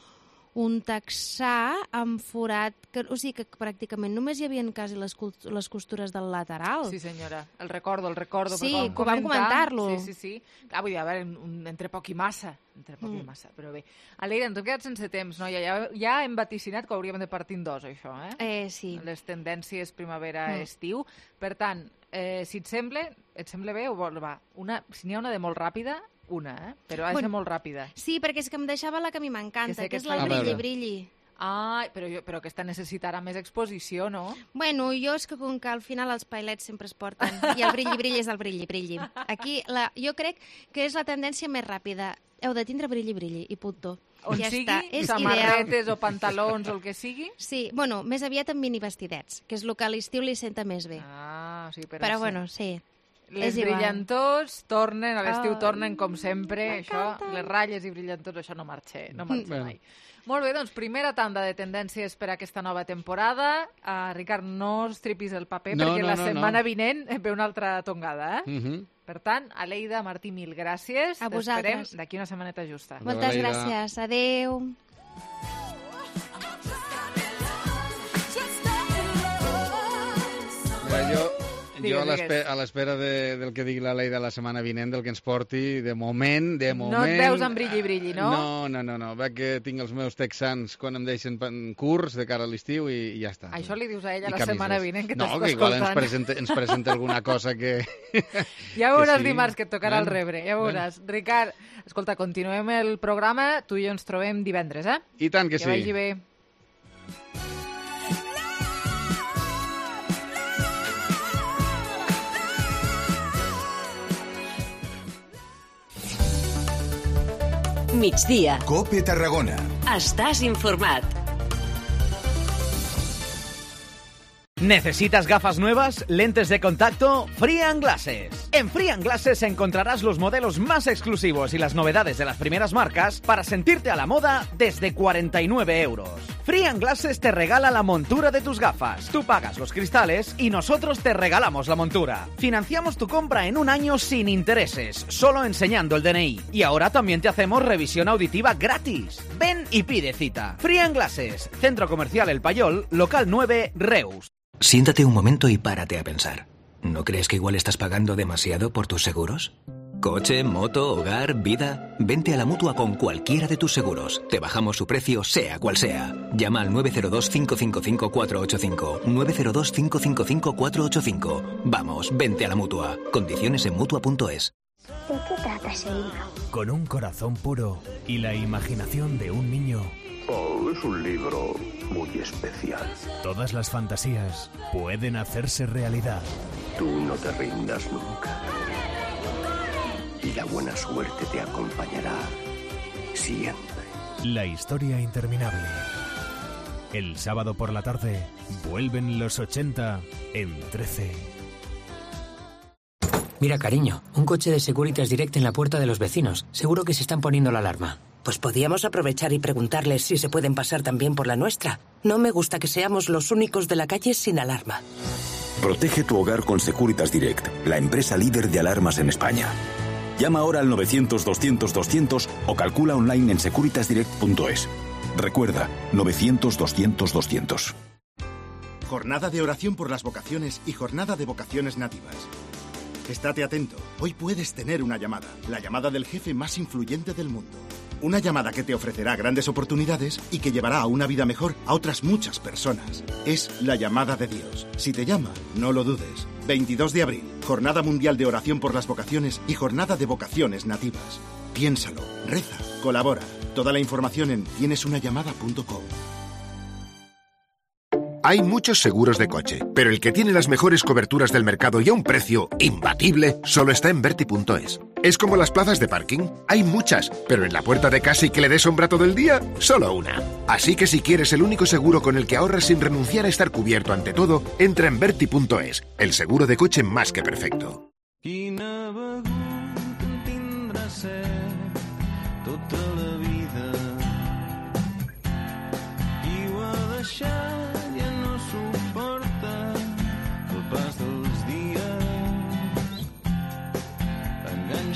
un texà amb forat, que, o sigui que pràcticament només hi havia quasi les, cult- les costures del lateral. Sí, senyora, el recordo, el recordo. Sí, perquè que ho vam comentar-lo. Sí, sí, sí. Clar, vull dir, a veure, un, entre poc i massa, entre poc Mm. i massa, però bé. Aleida, ens hem quedat sense temps, no? Ja, ja, ja hem vaticinat que hauríem de partir en dos, això, eh? Eh, sí. Les tendències primavera-estiu. Mm. Per tant, eh, si et sembla, et sembla bé o vol, va, una, si n'hi ha una de molt ràpida, una, eh? Però ha de Bueno, ser molt ràpida. Sí, perquè és que em deixava la que a mi Que m'encanta, sé que, que és et la fa- A brilli, veure. brilli. Ah, però, jo, però aquesta necessitarà més exposició, no? Bueno, jo és que com que al final els pailets sempre es porten i el brilli-brilli és el brilli-brilli. Aquí la, jo crec que és la tendència més ràpida. Heu de tindre brilli-brilli i punto. On ja sigui, està. És samarretes ideal. o pantalons o el que sigui. Sí, bueno, més aviat amb mini vestidets, que és el que a l'estiu li senta més bé. Ah, sí, però, Però sí. bueno, sí. Les és igual. brillantors tornen, a l'estiu Ah, tornen com sempre, això, les ratlles i brillantors, això no marxa, no marxa Bueno. mai. Molt bé, doncs primera tanda de tendències per a aquesta nova temporada. Uh, Ricard, no estripis el paper No, perquè no, la no, setmana no. vinent ve una altra tongada, eh? Uh -huh. Per tant, Aleida, Martí, mil gràcies. A T'esperem vosaltres. d'aquí una setmaneta justa. Moltes Aleida. gràcies. Adéu. Mira, jo, Digues, jo a l'espe- digues. a l'espera de, del que digui la Leida la setmana vinent, del que ens porti, de moment, de moment... No et veus amb brilli-brilli, no? No, no, no, no. Veig que tinc els meus texans quan em deixen pan- curts de cara a l'estiu i, i ja està. Això li dius a ella I la camises. setmana vinent, que no, t'està que igual ens escoltant. presenta, ens presenta alguna cosa que... Ja veuràs que sí. dimarts que et tocarà el Bueno, rebre, ja veuràs. Ricard, escolta, continuem el programa, tu i jo ens trobem divendres, eh? I tant que Que sí. vagi bé. Migdia. Cope Tarragona. Estàs informat. ¿Necesitas gafas nuevas? ¿Lentes de contacto? Free and Glasses. En Free and Glasses encontrarás los modelos más exclusivos y las novedades de las primeras marcas para sentirte a la moda desde cuarenta y nueve euros. Free and Glasses te regala la montura de tus gafas. Tú pagas los cristales y nosotros te regalamos la montura. Financiamos tu compra en un año sin intereses, solo enseñando el D N I. Y ahora también te hacemos revisión auditiva gratis. Ven y pide cita. Free and Glasses, Centro Comercial El Payol, local nueve, Reus. Siéntate un momento y párate a pensar. ¿No crees que igual estás pagando demasiado por tus seguros? Coche, moto, hogar, vida... Vente a la Mutua con cualquiera de tus seguros. Te bajamos su precio, sea cual sea. Llama al nueve cero dos, cinco cinco cinco, cuatro ocho cinco. nueve cero dos, cinco cinco cinco, cuatro ocho cinco. Vamos, vente a la Mutua. Condiciones en Mutua punto es. ¿De qué trata ese libro? Con un corazón puro y la imaginación de un niño... Oh, es un libro muy especial. Todas las fantasías pueden hacerse realidad. Tú no te rindas nunca. Y la buena suerte te acompañará siempre. La historia interminable. El sábado por la tarde vuelven los ochenta en trece. Mira, cariño, un coche de Securitas Direct en la puerta de los vecinos. Seguro que se están poniendo la alarma. Pues podíamos aprovechar y preguntarles si se pueden pasar también por la nuestra. No me gusta que seamos los únicos de la calle sin alarma. Protege tu hogar con Securitas Direct, la empresa líder de alarmas en España. Llama ahora al novecientos, doscientos, doscientos o calcula online en securitas direct punto es. Recuerda, novecientos, doscientos, doscientos. Jornada de oración por las vocaciones y jornada de vocaciones nativas. Estate atento, hoy puedes tener una llamada, la llamada del jefe más influyente del mundo. Una llamada que te ofrecerá grandes oportunidades y que llevará a una vida mejor a otras muchas personas. Es la llamada de Dios. Si te llama, no lo dudes. veintidós de abril, Jornada Mundial de Oración por las Vocaciones y Jornada de Vocaciones Nativas. Piénsalo, reza, colabora. Toda la información en tienes una llamada punto com. Hay muchos seguros de coche, pero el que tiene las mejores coberturas del mercado y a un precio imbatible solo está en Verti punto es. Es como las plazas de parking. Hay muchas, pero en la puerta de casa y que le dé sombra todo el día, solo una. Así que si quieres el único seguro con el que ahorras sin renunciar a estar cubierto ante todo, entra en Verti punto es, el seguro de coche más que perfecto.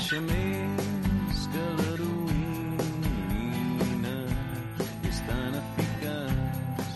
Més que l'heroïna és tan eficaç,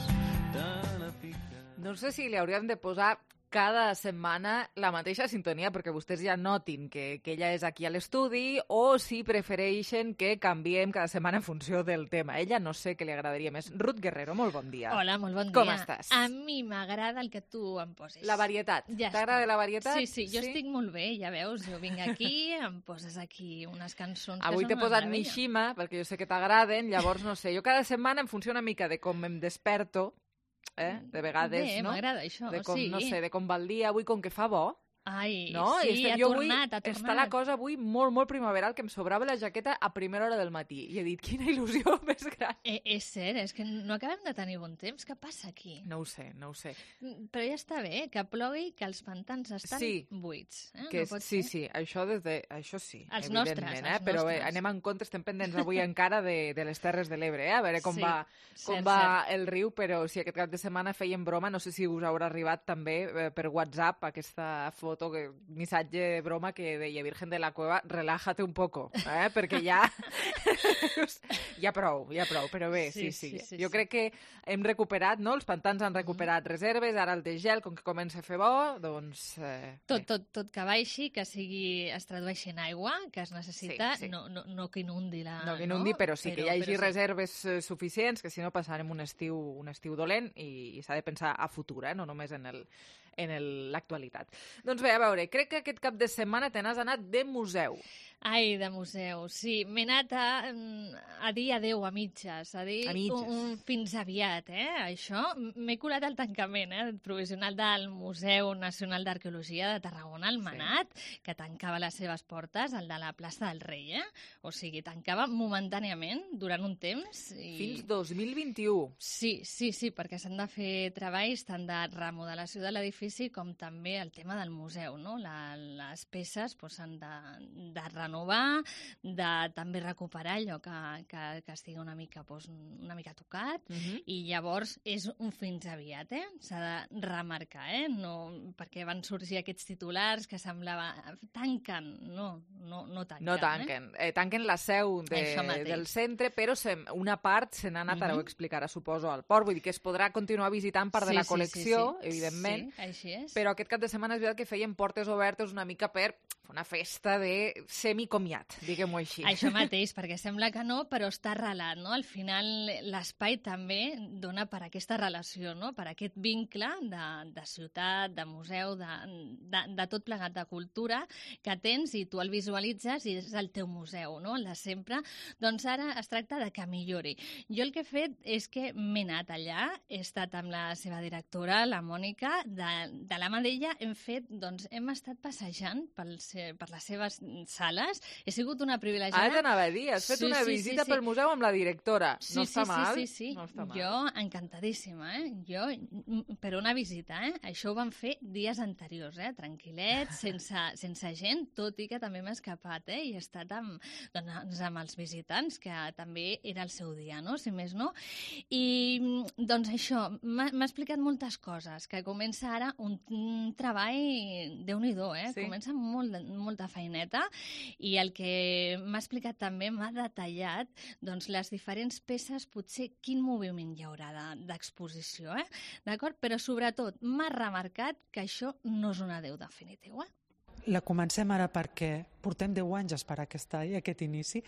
tan eficaç. No sé si li hauríem de posar cada setmana la mateixa sintonia perquè vostès ja notin que, que ella és aquí a l'estudi o si prefereixen que canviem cada setmana en funció del tema. Ella no sé què li agradaria més. Ruth Guerrero, molt bon dia. Hola, molt bon dia. Com estàs? A mi m'agrada el que tu em poses. La varietat. Ja T'agrada la varietat? Sí, sí, jo sí? estic molt bé, ja veus. Jo vinc aquí, em poses aquí unes cançons Avui que t'he són una posat meravella. Mishima, perquè jo sé que t'agraden, llavors no sé. Jo cada setmana em funciona una mica de com em desperto, eh? De vegades, Bé, no? m'agrada això, de com, sí. no sé, de com va el dia avui, com que fa bo. Ai, No? I sí, estem- ha jo avui tornat, ha tornat. Està la cosa avui molt, molt primaveral, que em sobrava la jaqueta a primera hora del matí. I he dit, quina il·lusió més gran. Eh, és cert, és que no acabem de tenir bon temps. Què passa aquí? No ho sé, no ho sé. Mm, Però ja està bé, que plogui, que els pantans estan Sí. buits. Eh? Que no pot sí, ser. sí, això, des de, això sí, Els evidentment, nostres, eh? els Però bé, nostres. anem en compte, estem pendents avui encara de, de les Terres de l'Ebre, eh? A veure com Sí, va, com cert, va el riu, però si aquest cap de setmana feien broma, no sé si us haurà arribat també eh, per WhatsApp aquesta foto, que, missatge de broma que deia Virgen de la Cueva, relájate un poco, eh? Perquè ja... ja prou, ja prou, però bé, sí, sí. Sí, sí, sí, jo sí. crec que hem recuperat, no? Els pantans han recuperat reserves, ara el de gel, com que comença a fer bo, doncs... Eh, Tot, tot, tot que baixi, que sigui, es tradueixi en aigua, que es necessita, Sí, sí. No, no, no que inundi la... No que inundi, però sí que hi hagi però sí. reserves eh, suficients, que si no passarem un estiu, un estiu dolent i, i s'ha de pensar a futur, eh? No només en el, en l'actualitat. Doncs bé, a veure, crec que aquest cap de setmana te n'has anat de museu. Ai, de museu, sí. M'he anat a, a dir adeu a mitges, a dir a mitges. Un, un fins aviat, eh, això. M'he colat al tancament, eh, provisional del Museu Nacional d'Arqueologia de Tarragona, el Manat, sí. que tancava les seves portes, el de la plaça del Rei, eh? O sigui, tancava momentàniament durant un temps. I... Fins dos mil vint-i-u. Sí, sí, sí, perquè s'han de fer treballs tant de remodelació de l'edifici com també el tema del museu, no? La, les peces pues, s'han de, de renovar renovar, de també recuperar allò que, que, que estigui una mica, doncs, una mica tocat, uh -huh. i llavors és un fins aviat, eh? S'ha de remarcar, eh? No, perquè van sorgir aquests titulars que semblava tanquen, no, no, no tanquen. No tanquen, eh? Eh, tanquen la seu de, del centre, però se, una part se n'ha anat, uh -huh. ara ho explicarà, suposo, al port, vull dir que es podrà continuar visitant part sí, de la col·lecció, sí, sí, sí. evidentment, sí, així és. Però aquest cap de setmana és veritat que feien portes obertes una mica per una festa de semicomiat, diguem-ho així. Això mateix, perquè sembla que no, però està arrelat, no? Al final l'espai també dona per aquesta relació, no? Per aquest vincle de, de ciutat, de museu, de, de, de tot plegat de cultura que tens i tu el visualitzes i és el teu museu, no? El de sempre. Doncs ara es tracta de que millori. Jo el que he fet és que m'he anat allà, he estat amb la seva directora, la Mònica, de, de la mà d'ella hem fet, doncs hem estat passejant pels per les seves sales. He sigut una privilegiada. Ah, t'anava a dir, has fet sí, una sí, visita sí, sí. pel museu amb la directora. Sí, no sí, està sí, mal. Sí, sí, sí. No està mal. Jo, encantadíssima, eh? Jo, per una visita, eh? Això ho vam fer dies anteriors, eh? Tranquil·lets, sense, sense gent, tot i que també m'he escapat, eh? I he estat amb, doncs, amb els visitants, que també era el seu dia, no? Si més no. I, doncs, això, m'ha explicat moltes coses, que comença ara un, un treball déu-n'hi-do, eh? Sí. Comença molt de molta feineta i el que m'ha explicat també m'ha detallat doncs, les diferents peces, potser quin moviment hi haurà d'exposició, eh? D'acord? Però sobretot m'ha remarcat que això no és un adeu definitiu, eh? La comencem ara perquè portem deu anys a esperar aquest, aquest inici.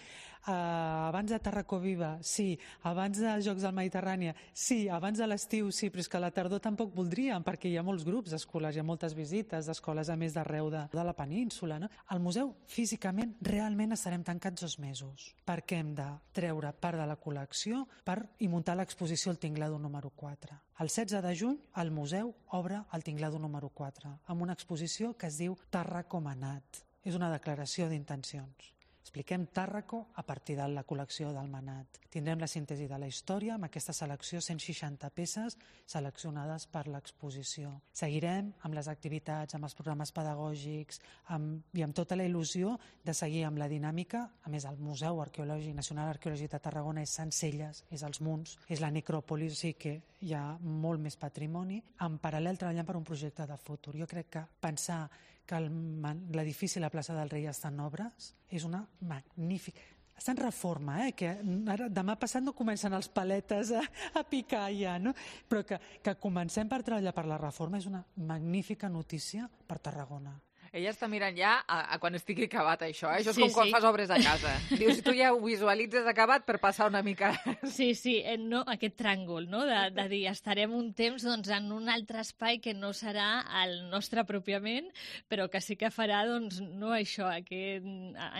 Uh, abans de Tarracó Viva, sí. Abans dels Jocs del Mediterrani, sí. Abans de l'estiu, sí. Però és que a la tardor tampoc voldríem, perquè hi ha molts grups escolars, hi ha moltes visites d'escoles a més d'arreu de, de la península. No? Al museu, físicament, realment estarem tancats dos mesos, perquè hem de treure part de la col·lecció per i muntar l'exposició al Tinglado número quatre. El setze de juny, el museu obre el Tinglado número quatre, amb una exposició que es diu Tàrraco Manat. És una declaració d'intencions. Expliquem Tàrraco a partir de la col·lecció del Manat. Tindrem la síntesi de la història amb aquesta selecció, cent seixanta peces seleccionades per l'exposició. Seguirem amb les activitats, amb els programes pedagògics amb, i amb tota la il·lusió de seguir amb la dinàmica. A més, el Museu Arqueològic Nacional Arqueològic de Tarragona és Sencelles, és els Munts, és la necròpolis, o sigui que hi ha molt més patrimoni. En paral·lel treballant per un projecte de futur. Jo crec que pensar que l'edifici i la plaça del Rei estan en obres és una magnífica... Està en reforma, eh? Que ara, demà passat no comencen els paletes a, a picar ja, no? Però que, que comencem per treballar per la reforma és una magnífica notícia per Tarragona. Ella està mirant ja a, a quan estigui acabat això, eh? Això és sí, com quan sí. fas obres a casa. Dius, tu ja ho visualitzes acabat per passar una mica... Sí, sí, no, aquest tràngol, no? De, de dir, estarem un temps doncs, en un altre espai que no serà el nostre pròpiament, però que sí que farà, doncs, no això, que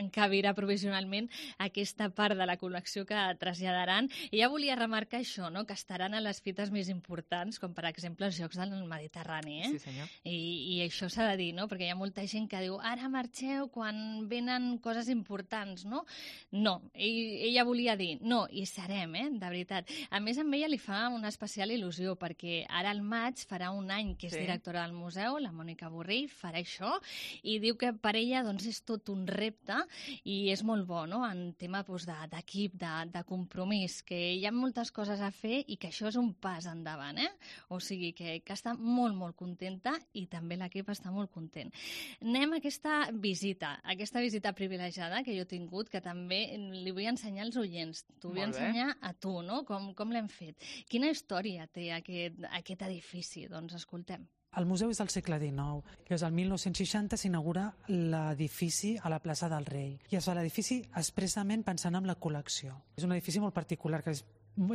encabirà provisionalment aquesta part de la col·lecció que traslladaran. I ja volia remarcar això, no? Que estaran a les fites més importants, com per exemple els Jocs del Mediterrani, eh? Sí, senyor. I, i això s'ha de dir, no? Perquè hi ha molta gent que diu, ara marxeu quan venen coses importants, no? No, ell, ella volia dir, no, hi serem, eh? De veritat. A més, a ella li fa una especial il·lusió, perquè ara al maig farà un any que és Sí. directora del museu, la Mònica Borrell, farà això, i diu que per ella doncs, és tot un repte, i és molt bo, no?, en tema doncs, d'equip, de, de compromís, que hi ha moltes coses a fer i que això és un pas endavant, eh? O sigui, que, que està molt, molt contenta i també l'equip està molt content. Anem a aquesta visita, aquesta visita privilegiada que jo he tingut, que també li vull ensenyar als oients. T'ho vull Molt bé. ensenyar a tu, no?, com, com l'hem fet. Quina història té aquest, aquest edifici? Doncs escoltem. El museu és del segle dinou. Llavors, el mil nou-cents seixanta s'inaugura l'edifici a la plaça del Rei. I es fa l'edifici expressament pensant en la col·lecció. És un edifici molt particular, que és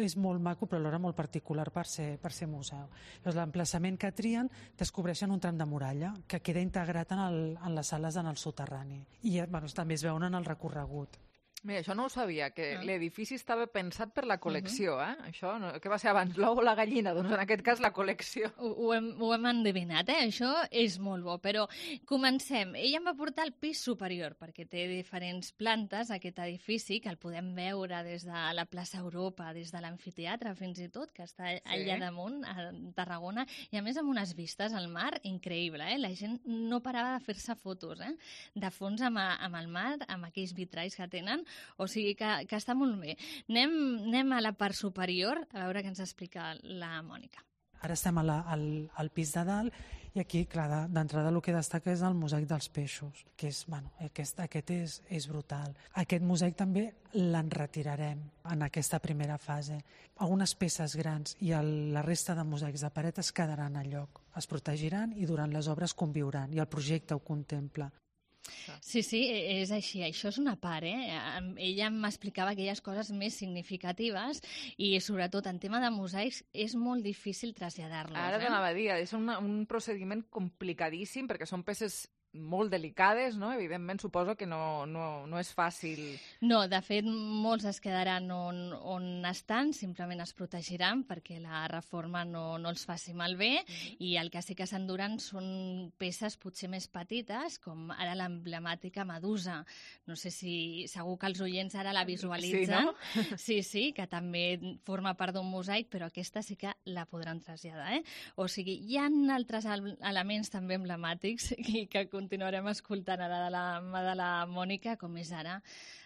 és molt maco, però alhora molt particular per ser, per ser museu. Llavors, l'emplaçament que trien descobreixen un tram de muralla que queda integrat en, el, en les sales en el soterrani. I bueno, també es veuen en el recorregut. Mira, això no ho sabia, que Ah. l'edifici estava pensat per la col·lecció, eh? Això, no, què va ser abans, l'ou o la gallina? Doncs en aquest cas la col·lecció. Ho, ho, hem, ho hem endevinat, eh? Això és molt bo, però comencem. Ella em va portar al pis superior, perquè té diferents plantes, aquest edifici, que el podem veure des de la plaça Europa, des de l'amfiteatre fins i tot, que està allà damunt, a Tarragona, i a més amb unes vistes al mar increïble, eh? La gent no parava de fer-se fotos, eh? De fons amb, a, amb el mar, amb aquells vitralls que tenen. O sigui que, que està molt bé. Anem, anem a la part superior a veure què ens explica la Mònica. Ara estem a la, al, al pis de dalt i aquí, clar, d'entrada el que destaca és el mosaic dels peixos, que és, bueno, aquest, aquest és, és brutal. Aquest mosaic també l'enretirarem en aquesta primera fase. Algunes peces grans i el, la resta de mosaics de paret es quedaran a lloc, es protegiran i durant les obres conviuran, i el projecte ho contempla. Sí, sí, és així. Això és una part, eh? Ella m'explicava aquelles coses més significatives i, sobretot, en tema de mosaics, és molt difícil traslladar-los. Ara eh? t'anava a dir, és una, un procediment complicadíssim perquè són peces molt delicades, no? Evidentment, suposo que no, no, no és fàcil. No, de fet, molts es quedaran on, on estan, simplement es protegiran perquè la reforma no, no els faci malbé, mm-hmm. i el que sí que s'enduran són peces potser més petites, com ara l'emblemàtica Medusa. No sé si segur que els oients ara la visualitzen. Sí, no? Sí, sí, que també forma part d'un mosaic, però aquesta sí que la podran traslladar, eh? O sigui, hi ha altres elements també emblemàtics i que continuarem escoltant ara de la mà de la Mònica, com és ara,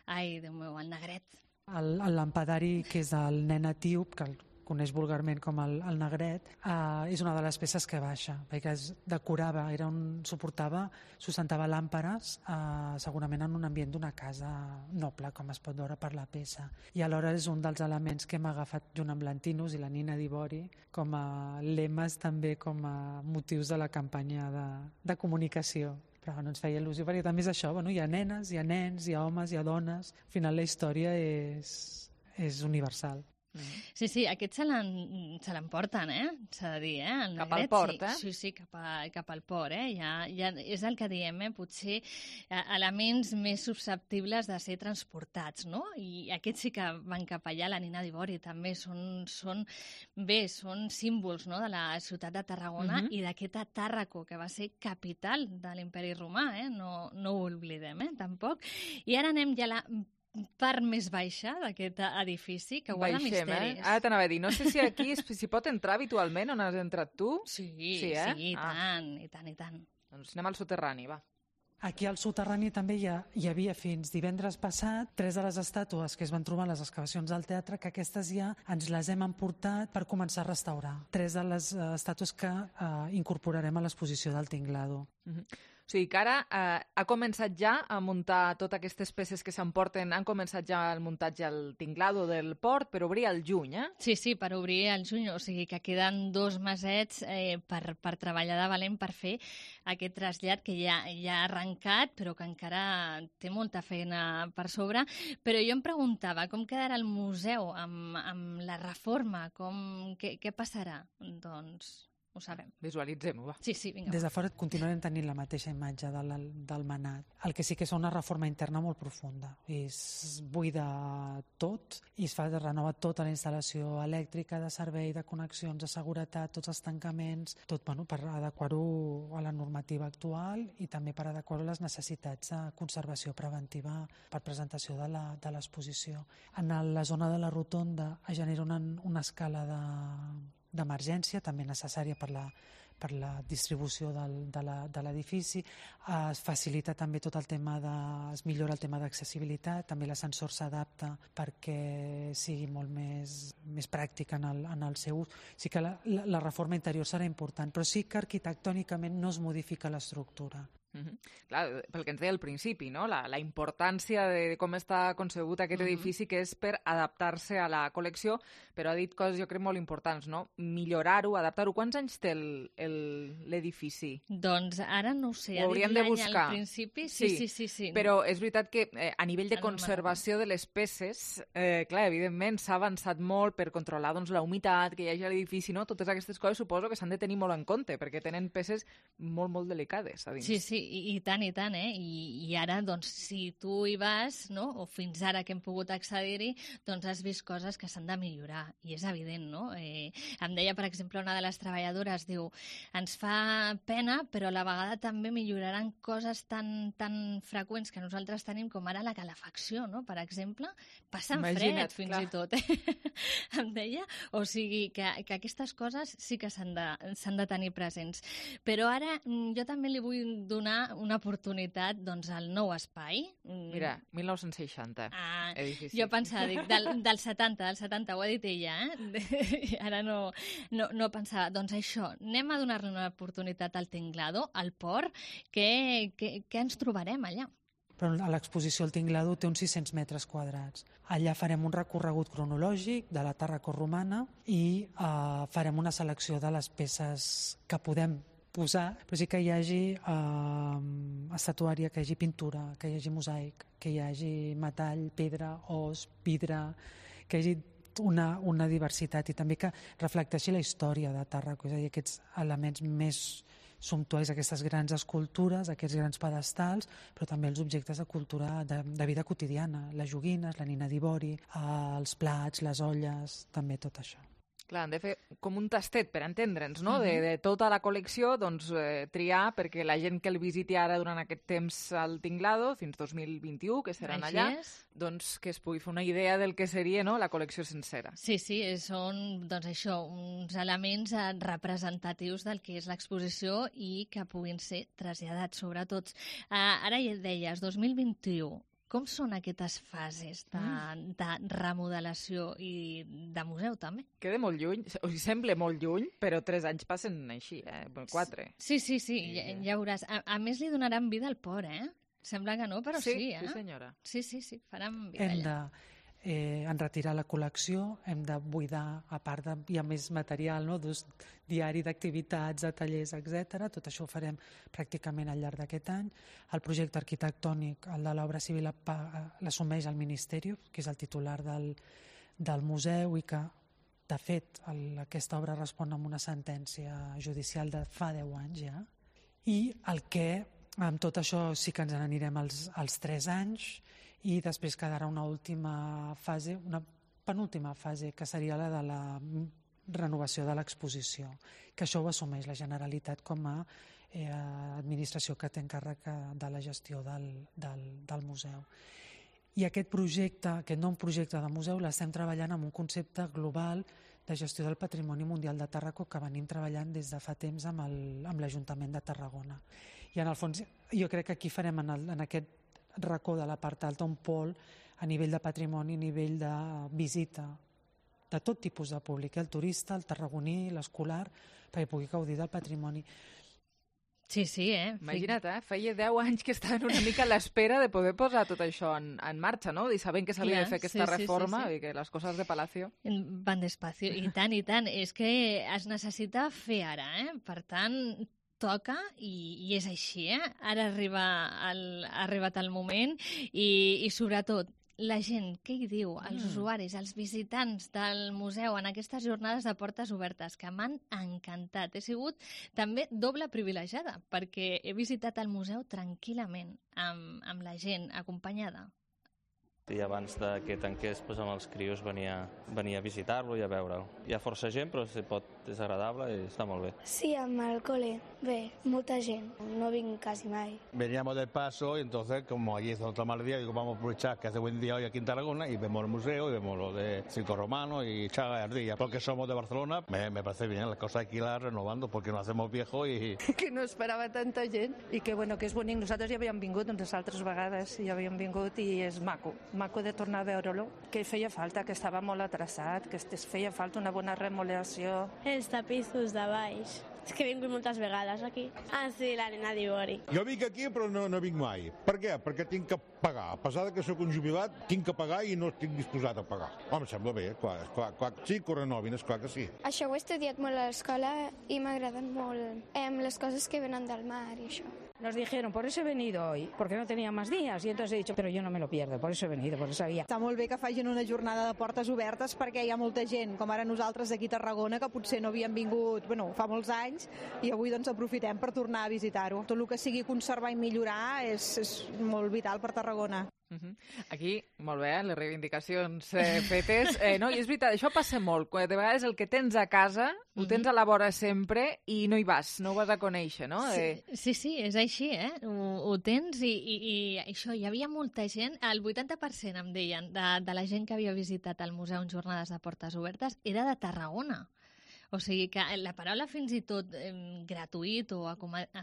ai, Déu meu, el negret. El, el lampadari, que és el nen etíop, que el coneix vulgarment com el, el negret, eh, és una de les peces que baixa, perquè es decorava, era un, suportava, sustentava làmperes, eh, segurament en un ambient d'una casa noble, com es pot veure per la peça. I alhora és un dels elements que hem agafat junt amb l'Antinus i la Nina d'Ivori com a lemes, també com a motius de la campanya de, de comunicació. Però no ens feia il·lusió, perquè també és això, bueno, hi ha nenes, hi ha nens, hi ha homes, hi ha dones, al final la història és, és universal. Sí, sí, aquests se l'emporten, eh? S'ha de dir, eh? El cap al negret, port, sí. eh? Sí, sí, cap, a, cap al port, eh? Ja, ja és el que diem, eh? Potser elements més susceptibles de ser transportats, no? I aquests sí que van cap allà, la Nina d'Ivori també són, són, bé, són símbols, no?, de la ciutat de Tarragona, Mhm. i d'aquesta Tàrraco, que va ser capital de l'imperi romà, eh? No, no ho oblidem, eh? Tampoc. I ara anem ja a la part més baixa d'aquest edifici, que guarda Baixem, misteris. eh? Ara t'anava a dir, no sé si aquí s'hi pot entrar habitualment on has entrat tu. Sí, sí, eh? sí, i Ah. tant, i tant, i tant. Doncs anem al soterrani, va. Aquí al soterrani també hi, ha, hi havia fins divendres passat tres de les estàtues que es van trobar a les excavacions del teatre, que aquestes ja ens les hem emportat per començar a restaurar. Tres de les uh, estàtues que uh, incorporarem a l'exposició del Tinglado. Mhm. O sigui que ara eh, ha començat ja a muntar totes aquestes peces que s'emporten, han començat ja el muntatge al tinglado del port per obrir al juny, eh? Sí, sí, per obrir el juny, o sigui que queden dos mesets eh, per, per treballar de valent per fer aquest trasllat que ja, ja ha arrencat, però que encara té molta feina per sobre. Però jo em preguntava com quedarà el museu amb, amb la reforma, com, què, què passarà? Doncs ho sabem. Visualitzem-ho, va. Sí, sí, vinga. Des de fora continuarem tenint la mateixa imatge del, del manat. El que sí que és una reforma interna molt profunda. Es buida tot i es fa de renova tota la instal·lació elèctrica, de servei, de connexions, de seguretat, tots els tancaments, tot, bueno, per adequar-ho a la normativa actual i també per adequar-ho a les necessitats de conservació preventiva per presentació de la, de l'exposició. En la zona de la rotonda es genera una, una escala de d'emergència, també necessària per la, per la distribució del, de l'edifici. Es facilita també tot el tema de... es millora el tema d'accessibilitat, també l'ascensor s'adapta perquè sigui molt més, més pràctic en el, en el seu ús. Sí que la, la, la reforma interior serà important, però sí que arquitectònicament no es modifica l'estructura. Mm-hmm. Clar, pel que ens deia al principi, no? la, la importància de com està concebut aquest mm-hmm. edifici, que és per adaptar-se a la col·lecció, però ha dit coses, jo crec, molt importants, no? Millorar-ho, adaptar-ho. Quants anys té l'edifici? Doncs ara no ho sé, ho ha dit de l'any buscar. Al principi, sí, sí, sí. sí, sí. Però és veritat que eh, a nivell de conservació de les peces, eh, clar, evidentment s'ha avançat molt per controlar doncs, la humitat que hi hagi a l'edifici, no? Totes aquestes coses suposo que s'han de tenir molt en compte, perquè tenen peces molt, molt delicades a dins. Sí, sí, i, i tant, i tant, eh? I, i ara, doncs, si tu hi vas, no?, o fins ara que hem pogut accedir-hi, doncs has vist coses que s'han de millorar, i és evident, no? Eh, em deia, per exemple, una de les treballadores, diu, ens fa pena, però a la vegada també milloraran coses tan, tan freqüents que nosaltres tenim, com ara la calefacció, no?, per exemple, passen Imagina't, fred, fins clar. i tot, eh? em deia, o sigui, que, que aquestes coses sí que s'han de, s'han de tenir presents. Però ara jo també li vull donar una oportunitat doncs, al nou espai. Mira, mil nou-cents seixanta, ah, edifici. Jo pensava, dic, del, del setanta, del setanta, ho ha dit ella, eh? Ara no, no, no pensava. Doncs això, anem a donar-li una oportunitat al Tinglado, al port, què, què, què ens trobarem allà? Però a l'exposició el Tinglado té uns sis-cents metres quadrats. Allà farem un recorregut cronològic de la Tàrraco romana i eh, farem una selecció de les peces que podem posar, però sí que hi hagi eh, estatuària, que hi hagi pintura, que hi hagi mosaic, que hi hagi metall, pedra, os, vidre, que hi hagi una, una diversitat i també que reflecteixi la història de Tàrraco, és a dir, aquests elements més sumptuosos, aquestes grans escultures, aquests grans pedestals, però també els objectes de cultura de, de vida quotidiana, les joguines, la nina d'ivori, els plats, les olles, també tot això. Clar, han de fer com un tastet per entendre'ns, no? De, de tota la col·lecció, doncs, eh, triar perquè la gent que el visiti ara durant aquest temps al Tinglado, fins dos mil vint-i-u, que seran Així allà, és. doncs que es pugui fer una idea del que seria, no?, la col·lecció sencera. Sí, sí, són, doncs això, uns elements eh, representatius del que és l'exposició i que puguin ser traslladats, sobretot. Uh, ara ja et deies, dos mil vint-i-u, com són aquestes fases de, de remodelació i de museu, també? Queda molt lluny, o sigui, sembla molt lluny, però tres anys passen així, eh? Quatre. Sí, sí, sí, ja, ja veuràs. A, a més, li donaran vida al port, eh? Sembla que no, però sí, sí eh? Sí, senyora. Sí, sí, sí, faran vida Hem allà. de eh, en retirar la col·lecció, hem de buidar, a part de, hi ha més material, no?, d'ús diari d'activitats, de tallers, etcètera. Tot això ho farem pràcticament al llarg d'aquest any. El projecte arquitectònic, el de l'obra civil, l'assumeix el Ministeri, que és el titular del, del museu i que, de fet, el, aquesta obra respon a una sentència judicial de fa deu anys ja. I el que, amb tot això, sí que ens n'anirem als, als tres anys i després quedarà una última fase, una penúltima fase, que seria la de la renovació de l'exposició, que això ho assumeix la Generalitat com a eh, administració que té encàrrec de la gestió del, del, del museu. I aquest projecte, aquest nou projecte de museu, l'estem treballant amb un concepte global de gestió del patrimoni mundial de Tàrraco que venim treballant des de fa temps amb el, amb l'Ajuntament de Tarragona. I en el fons jo crec que aquí farem en, el, en aquest racó de la part alta un pol a nivell de patrimoni, a nivell de visita de tot tipus de públic, el turista, el tarragoní, l'escolar, perquè pugui gaudir del patrimoni. Sí, sí, eh? Imagina't, eh? Feia deu anys que estaven una mica a l'espera de poder posar tot això en, en marxa, no? I sabent que s'havia de fer aquesta sí, reforma sí, sí, sí. i que les coses de Palacio... Van despacio, i tant, i tant. És que es necessita fer ara, eh? Per tant, toca i, i és així, eh? Ara arriba el, ha arribat el moment i, i sobretot la gent, què hi diu? Els mm. usuaris, els visitants del museu en aquestes jornades de portes obertes que m'han encantat. He sigut també doble privilegiada perquè he visitat el museu tranquil·lament amb, amb la gent acompanyada. I abans de que tanqués, doncs, amb els crios venia, venia a visitar-lo i a veure'l. Hi ha força gent, però si pot, és agradable i està molt bé. Sí, amb el cole. Bé, mucha gent. No vinc quasi mai. Veníamos del paso y entonces, como allí es otro mal día, digo, vamos a aprovechar que hace buen día hoy aquí en Tarragona y vemos el museo y vemos lo de Circo Romano y Chaga y Ardilla. Porque somos de Barcelona, me, me parece bien, las cosas hay que irlas renovando porque nos hacemos viejos i... Que no esperava tanta gent i que, bueno, que és bonic. Nosaltres ja havíem vingut unes altres vegades, ja havíem vingut i és maco. Maco de tornar a veure-lo, que feia falta, que estava molt atrasat, que es feia falta una bona remodelació. Els tapissos de baix. És que he vingut moltes vegades aquí. Ah, sí, l'Helena d'Ivori. Jo vinc aquí però no, no vinc mai. Per què? Perquè tinc que pagar. A pesar que sóc un jubilat, tinc que pagar i no estic disposat a pagar. Home, em sembla bé, clar, clar, clar. Sí, que renovin, és clar que sí. Això ho he estudiat molt a l'escola i m'agraden molt eh, les coses que venen del mar i això. Nos dijeron, por eso he venido hoy, porque no tenía más días. Y entonces he dicho, pero yo no me lo pierdo, por eso he venido, por eso sabía. Està molt bé que facin una jornada de portes obertes perquè hi ha molta gent, com ara nosaltres aquí a Tarragona, que potser no havien vingut, bueno, fa molts anys, i avui doncs aprofitem per tornar a visitar-ho. Tot el que sigui conservar i millorar és, és molt vital per Tarragona. Uh-huh. Aquí, molt bé, les reivindicacions eh, fetes. Eh, no, i és veritat, això passa molt. Quan de vegades el que tens a casa uh-huh. ho tens a la vora sempre i no hi vas, no ho vas a conèixer, no? Sí, Eh... sí, sí, és així, eh? Ho, ho tens i, i, i això, hi havia molta gent, el vuitanta per cent em deien, de, de la gent que havia visitat el museu en jornades de portes obertes era de Tarragona. O sigui que la paraula fins i tot eh, gratuït o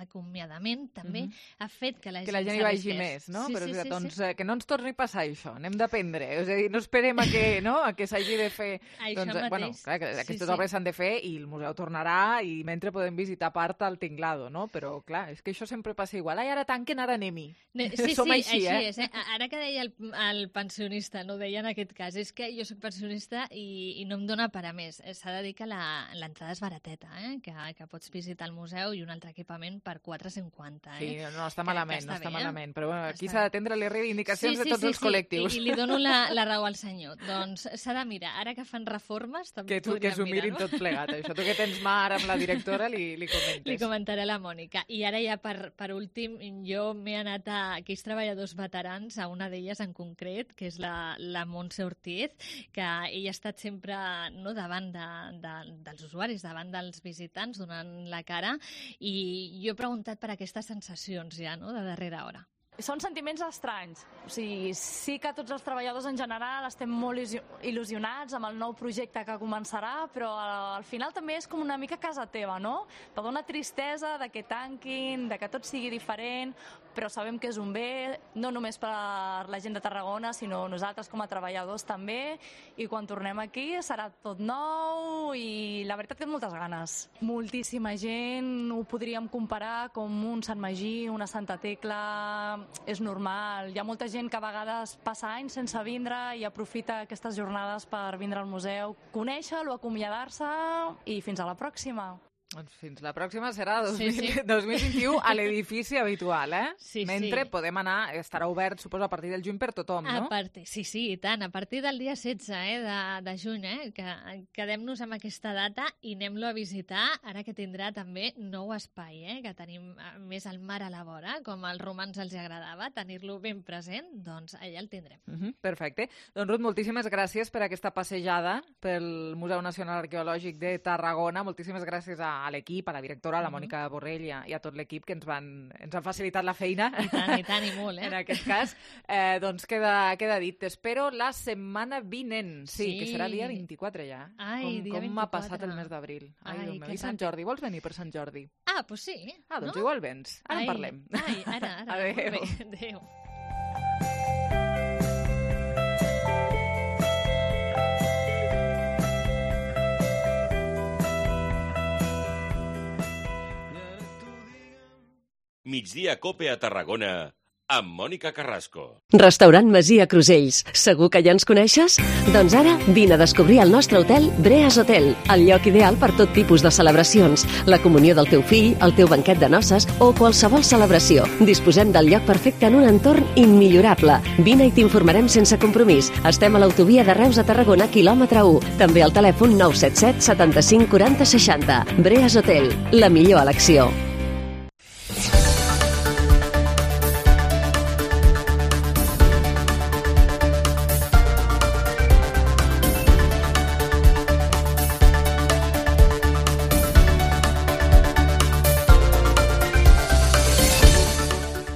acomiadament també Mhm. ha fet que la que gent la gent hi vagi més, no? Sí, Però sí, és veritat, sí, doncs sí. eh, que no ens torni a passar això, anem d'aprendre. És a dir, no esperem a que, no? a que s'hagi de fer... Això doncs, eh, bueno, mateix. clar, que Sí, aquestes sí. obres s'han de fer i el museu tornarà i mentre podem visitar part al tinglado, no? Però clar, és que això sempre passa igual. Ai, ara tanquen, ara anem-hi. Ne- Sí, Som sí, així, així eh? és. Eh? Ara que deia el, el pensionista, no ho deia en aquest cas, és que jo soc pensionista i, i no em dóna per a més. Eh, S'ha de dir que la- l'entrada és barateta, eh? que, que pots visitar el museu i un altre equipament per quatre coma cinquanta. Eh? Sí, no està Que- malament, que no està bé, eh? malament. Però bueno, aquí Està s'ha bé. d'atendre les reivindicacions Sí, sí, de tots sí, els sí. col·lectius. I, i li dono la, la raó al senyor. Doncs s'ha de mirar. Ara que fan reformes, també Que tu que podríem s'ho mirin mirar-ho. tot plegat. Això tu que tens mà ara amb la directora li, li comentes. Li comentaré a la Mònica. I ara ja per, per últim, jo m'he anat a aquells treballadors veterans, a una d'elles en concret, que és la, la Montse Ortiz, que ella ha estat sempre no, davant de, de, dels usuaris, davant dels visitants, donant la cara, i jo he preguntat per aquestes sensacions ja, no?, de darrera hora. Són sentiments estranys. O sigui, sí que tots els treballadors en general estem molt il·lusionats amb el nou projecte que començarà, però al final també és com una mica casa teva, no? Te dona tristesa de que tanquin, de que tot sigui diferent, però sabem que és un bé, no només per la gent de Tarragona, sinó nosaltres com a treballadors també, i quan tornem aquí serà tot nou i la veritat que tinc moltes ganes. Moltíssima gent, ho podríem comparar com un Sant Magí, una Santa Tecla, és normal. Hi ha molta gent que a vegades passa anys sense vindre i aprofita aquestes jornades per vindre al museu, conèixer-lo, acomiadar-se i fins a la pròxima. Doncs fins la pròxima serà dos Sí, mil, sí. dos mil vint-i-u a l'edifici habitual, eh? Sí, Mentre sí. podem anar, estarà obert, suposo, a partir del juny per tothom, no? A partir, sí, sí, i tant. A partir del dia setze eh, de, de juny, eh, que quedem-nos amb aquesta data i anem-lo a visitar, ara que tindrà també nou espai, eh, que tenim eh, més al mar a la vora, com als romans els agradava, tenir-lo ben present, doncs allà el tindrem. Uh -huh, perfecte. Doncs, Ruth, moltíssimes gràcies per aquesta passejada pel Museu Nacional Arqueològic de Tarragona. Moltíssimes gràcies a, a l'equip, a la directora, a la Mònica Borrell i a, i a tot l'equip que ens van, ens han facilitat la feina. I tant, i tant, i molt, eh? En aquest cas, eh, doncs queda, queda dit. T'espero la setmana vinent. Sí, Sí. que serà dia vint-i-quatre ja. Ai, com, dia com m'ha vint-i-quatre. passat el mes d'abril. Ai, Ai, Déu meu. que I Sant ràpid. Jordi, vols venir per Sant Jordi? Ah, doncs sí. Ah, doncs no? igual vens. Ara Ai, en parlem. Ai, ara, ara. Adéu. Molt bé, adéu. Migdia Cope a Tarragona amb Mònica Carrasco. Restaurant Masia Crusells. Segur que ja ens coneixes? Doncs ara vine a descobrir el nostre hotel Breas Hotel, el lloc ideal per tot tipus de celebracions, la comunió del teu fill, el teu banquet de noces o qualsevol celebració. Disposem del lloc perfecte en un entorn immillorable. Vine i t'informarem sense compromís. Estem a l'autovia de Reus a Tarragona, quilòmetre u. També al telèfon nou set set setanta-cinc quaranta seixanta. Breas Hotel, la millor elecció.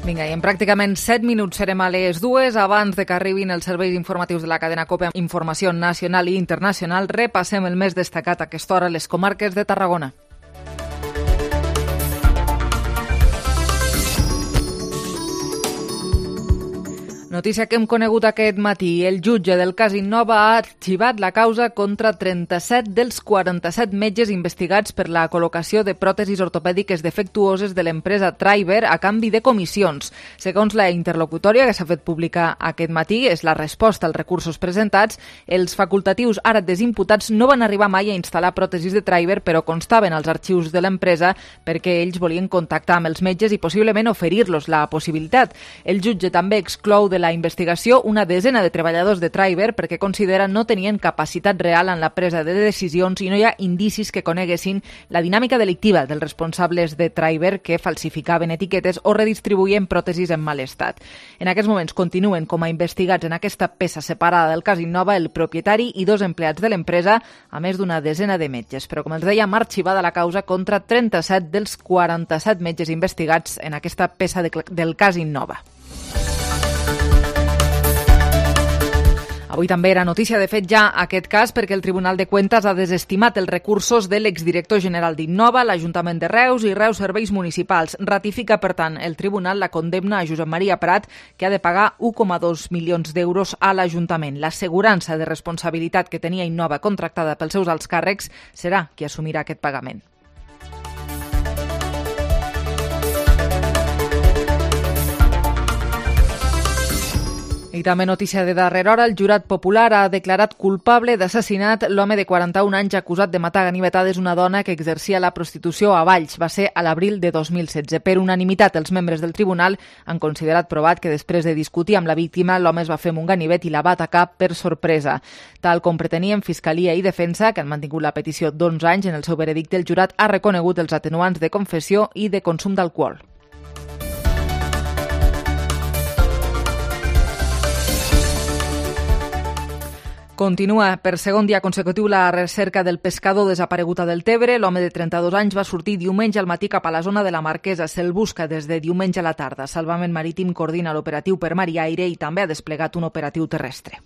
Vinga, i en pràcticament set minuts serem a les dues. Abans de que arribin els serveis informatius de la cadena COPE amb informació nacional i internacional, repassem el més destacat a aquesta hora a les comarques de Tarragona. Notícia que hem conegut aquest matí. El jutge del cas Innova ha arxivat la causa contra trenta-set dels quaranta-set metges investigats per la col·locació de pròtesis ortopèdiques defectuoses de l'empresa Treiber a canvi de comissions. Segons la interlocutòria que s'ha fet pública aquest matí, és la resposta als recursos presentats. Els facultatius ara desimputats no van arribar mai a instal·lar pròtesis de Treiber, però constaven als arxius de l'empresa perquè ells volien contactar amb els metges i possiblement oferir-los la possibilitat. El jutge també exclou de la investigació una desena de treballadors de Treiber perquè considera no tenien capacitat real en la presa de decisions i no hi ha indicis que coneguessin la dinàmica delictiva dels responsables de Treiber que falsificaven etiquetes o redistribuïen pròtesis en mal estat. En aquests moments continuen com a investigats en aquesta peça separada del cas Innova el propietari i dos empleats de l'empresa, a més d'una desena de metges. Però, com els deia, ha arxivada la causa contra trenta-set dels quaranta-set metges investigats en aquesta peça de, del cas Innova. Avui també era notícia, de fet, ja aquest cas perquè el Tribunal de Cuentas ha desestimat els recursos de l'exdirector general d'Innova, l'Ajuntament de Reus i Reus Serveis Municipals. Ratifica, per tant, el Tribunal la condemna a Josep Maria Prat, que ha de pagar un coma dos milions d'euros a l'Ajuntament. L'assegurança de responsabilitat que tenia Innova contractada pels seus alts càrrecs serà qui assumirà aquest pagament. I també notícia de darrera hora, el jurat popular ha declarat culpable d'assassinat l'home de quaranta-un anys acusat de matar a ganivetades una dona que exercia la prostitució a Valls. Va ser a l'abril de dos mil setze. Per unanimitat, els membres del tribunal han considerat provat que després de discutir amb la víctima, l'home es va fer amb un ganivet i la va atacar per sorpresa. Tal com pretenien Fiscalia i Defensa, que han mantingut la petició d'onze anys, en el seu veredicte el jurat ha reconegut els atenuants de confessió i de consum d'alcohol. Continua per segon dia consecutiu la recerca del pescador desaparegut a Deltebre. L'home de trenta-dos anys va sortir diumenge al matí cap a la zona de la Marquesa. Se'l busca des de diumenge a la tarda. Salvament Marítim coordina l'operatiu per mar i aire i també ha desplegat un operatiu terrestre.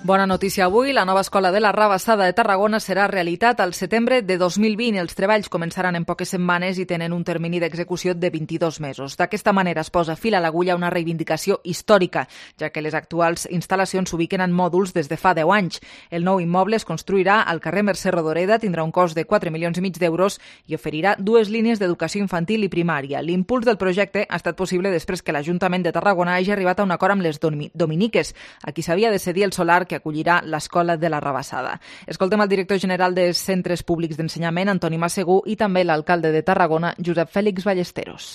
Bona notícia avui, la nova escola de la Rabassada de Tarragona serà realitat al setembre de dos mil vint. Els treballs començaran en poques setmanes i tenen un termini d'execució de vint-i-dos mesos. D'aquesta manera es posa fil a l'agulla una reivindicació històrica, ja que les actuals instal·lacions s'ubiquen en mòduls des de fa deu anys. El nou immoble es construirà al carrer Mercè Rodoreda, tindrà un cost de quatre milions i mig d'euros i oferirà dues línies d'educació infantil i primària. L'impuls del projecte ha estat possible després que l'Ajuntament de Tarragona hagi arribat a un acord amb les dominiques, a qui s'havia de cedir el solar que acollirà l'escola de la Rabassada. Escoltem el director general dels Centres Públics d'Ensenyament, Antoni Massegú, i també l'alcalde de Tarragona, Josep Fèlix Ballesteros.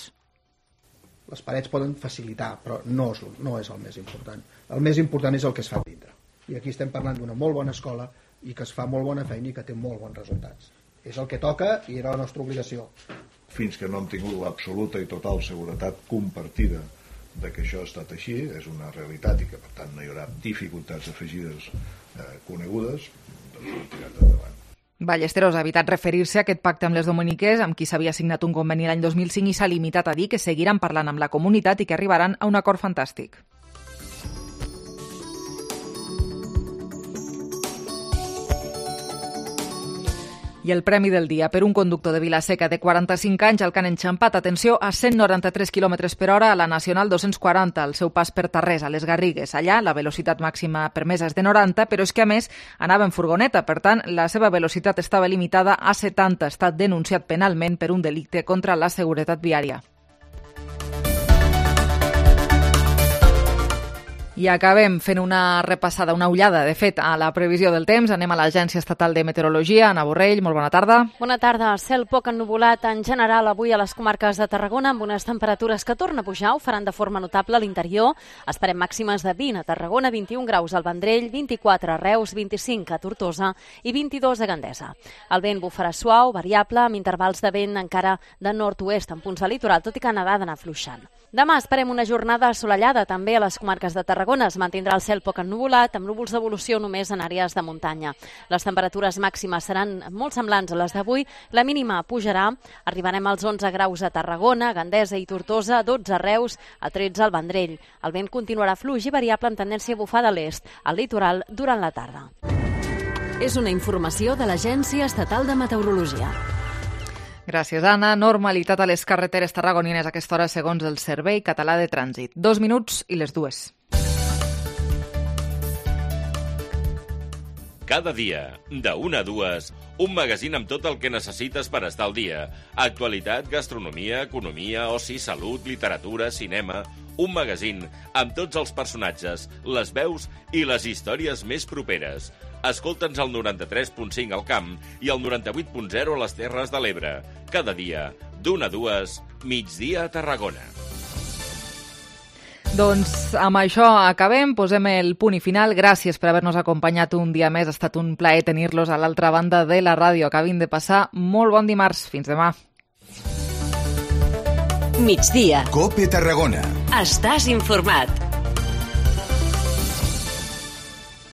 Les parets poden facilitar, però no és, no és el més important. El més important és el que es fa dintre. I aquí estem parlant d'una molt bona escola i que es fa molt bona feina i que té molt bons resultats. És el que toca i era la nostra obligació. Fins que no hem tingut l'absoluta i total seguretat compartida de que això ha estat així, és una realitat i que per tant no hi haurà dificultats afegides eh, conegudes, doncs ho hem tirat endavant. Ballesteros ha evitat referir-se a aquest pacte amb les dominiques, amb qui s'havia signat un conveni l'any dos mil cinc, i s'ha limitat a dir que seguiran parlant amb la comunitat i que arribaran a un acord fantàstic. I el premi del dia per un conductor de Vila-seca de quaranta-cinc anys al que han enxampat, atenció, a cent noranta-tres quilòmetres per hora a la Nacional dos-cents quaranta, al seu pas per Tarrés, a les Garrigues. Allà la velocitat màxima permesa és de noranta, però és que a més anava en furgoneta, per tant la seva velocitat estava limitada a setanta. Ha estat denunciat penalment per un delicte contra la seguretat viària. I acabem fent una repassada, una ullada, de fet, a la previsió del temps. Anem a l'Agència Estatal de Meteorologia. Ana Borrell, molt bona tarda. Bona tarda. Cel poc ennuvolat en general avui a les comarques de Tarragona, amb unes temperatures que tornen a pujar, ho faran de forma notable a l'interior. Esperem màximes de vint a Tarragona, vint-i-un graus al Vendrell, vint-i-quatre a Reus, vint-i-cinc a Tortosa i vint-i-dos a Gandesa. El vent bufarà suau, variable, amb intervals de vent encara de nord-oest en punts del litoral, tot i que n'ha d'anar afluixant. Demà esperem una jornada assolellada també a les comarques de Tarragona. Es mantindrà el cel poc ennuvolat, amb núvols d'evolució només en àrees de muntanya. Les temperatures màximes seran molt semblants a les d'avui. La mínima pujarà. Arribarem als onze graus a Tarragona, Gandesa i Tortosa, dotze a Reus, a tretze al Vendrell. El vent continuarà fluix i variable amb tendència a bufar de l'est, al litoral durant la tarda. És una informació de l'Agència Estatal de Meteorologia. Gràcies, Anna. Normalitat a les carreteres tarragonines a aquesta hora segons el Servei Català de Trànsit. Dos minuts i les dues. Cada dia, de una a dues, un magazín amb tot el que necessites per estar al dia. Actualitat, gastronomia, economia, oci, salut, literatura, cinema... Un magazín amb tots els personatges, les veus i les històries més properes. Escolta'ns al noranta-tres punt cinc al Camp i al noranta-vuit punt zero a les Terres de l'Ebre. Cada dia, d'una a dues, migdia a Tarragona. Doncs amb això acabem, posem el punt i final. Gràcies per haver-nos acompanyat un dia més. Ha estat un plaer tenir-los a l'altra banda de la ràdio. Acabin de passar molt bon dimarts. Fins demà. Migdia. Cope Tarragona. Estàs informat.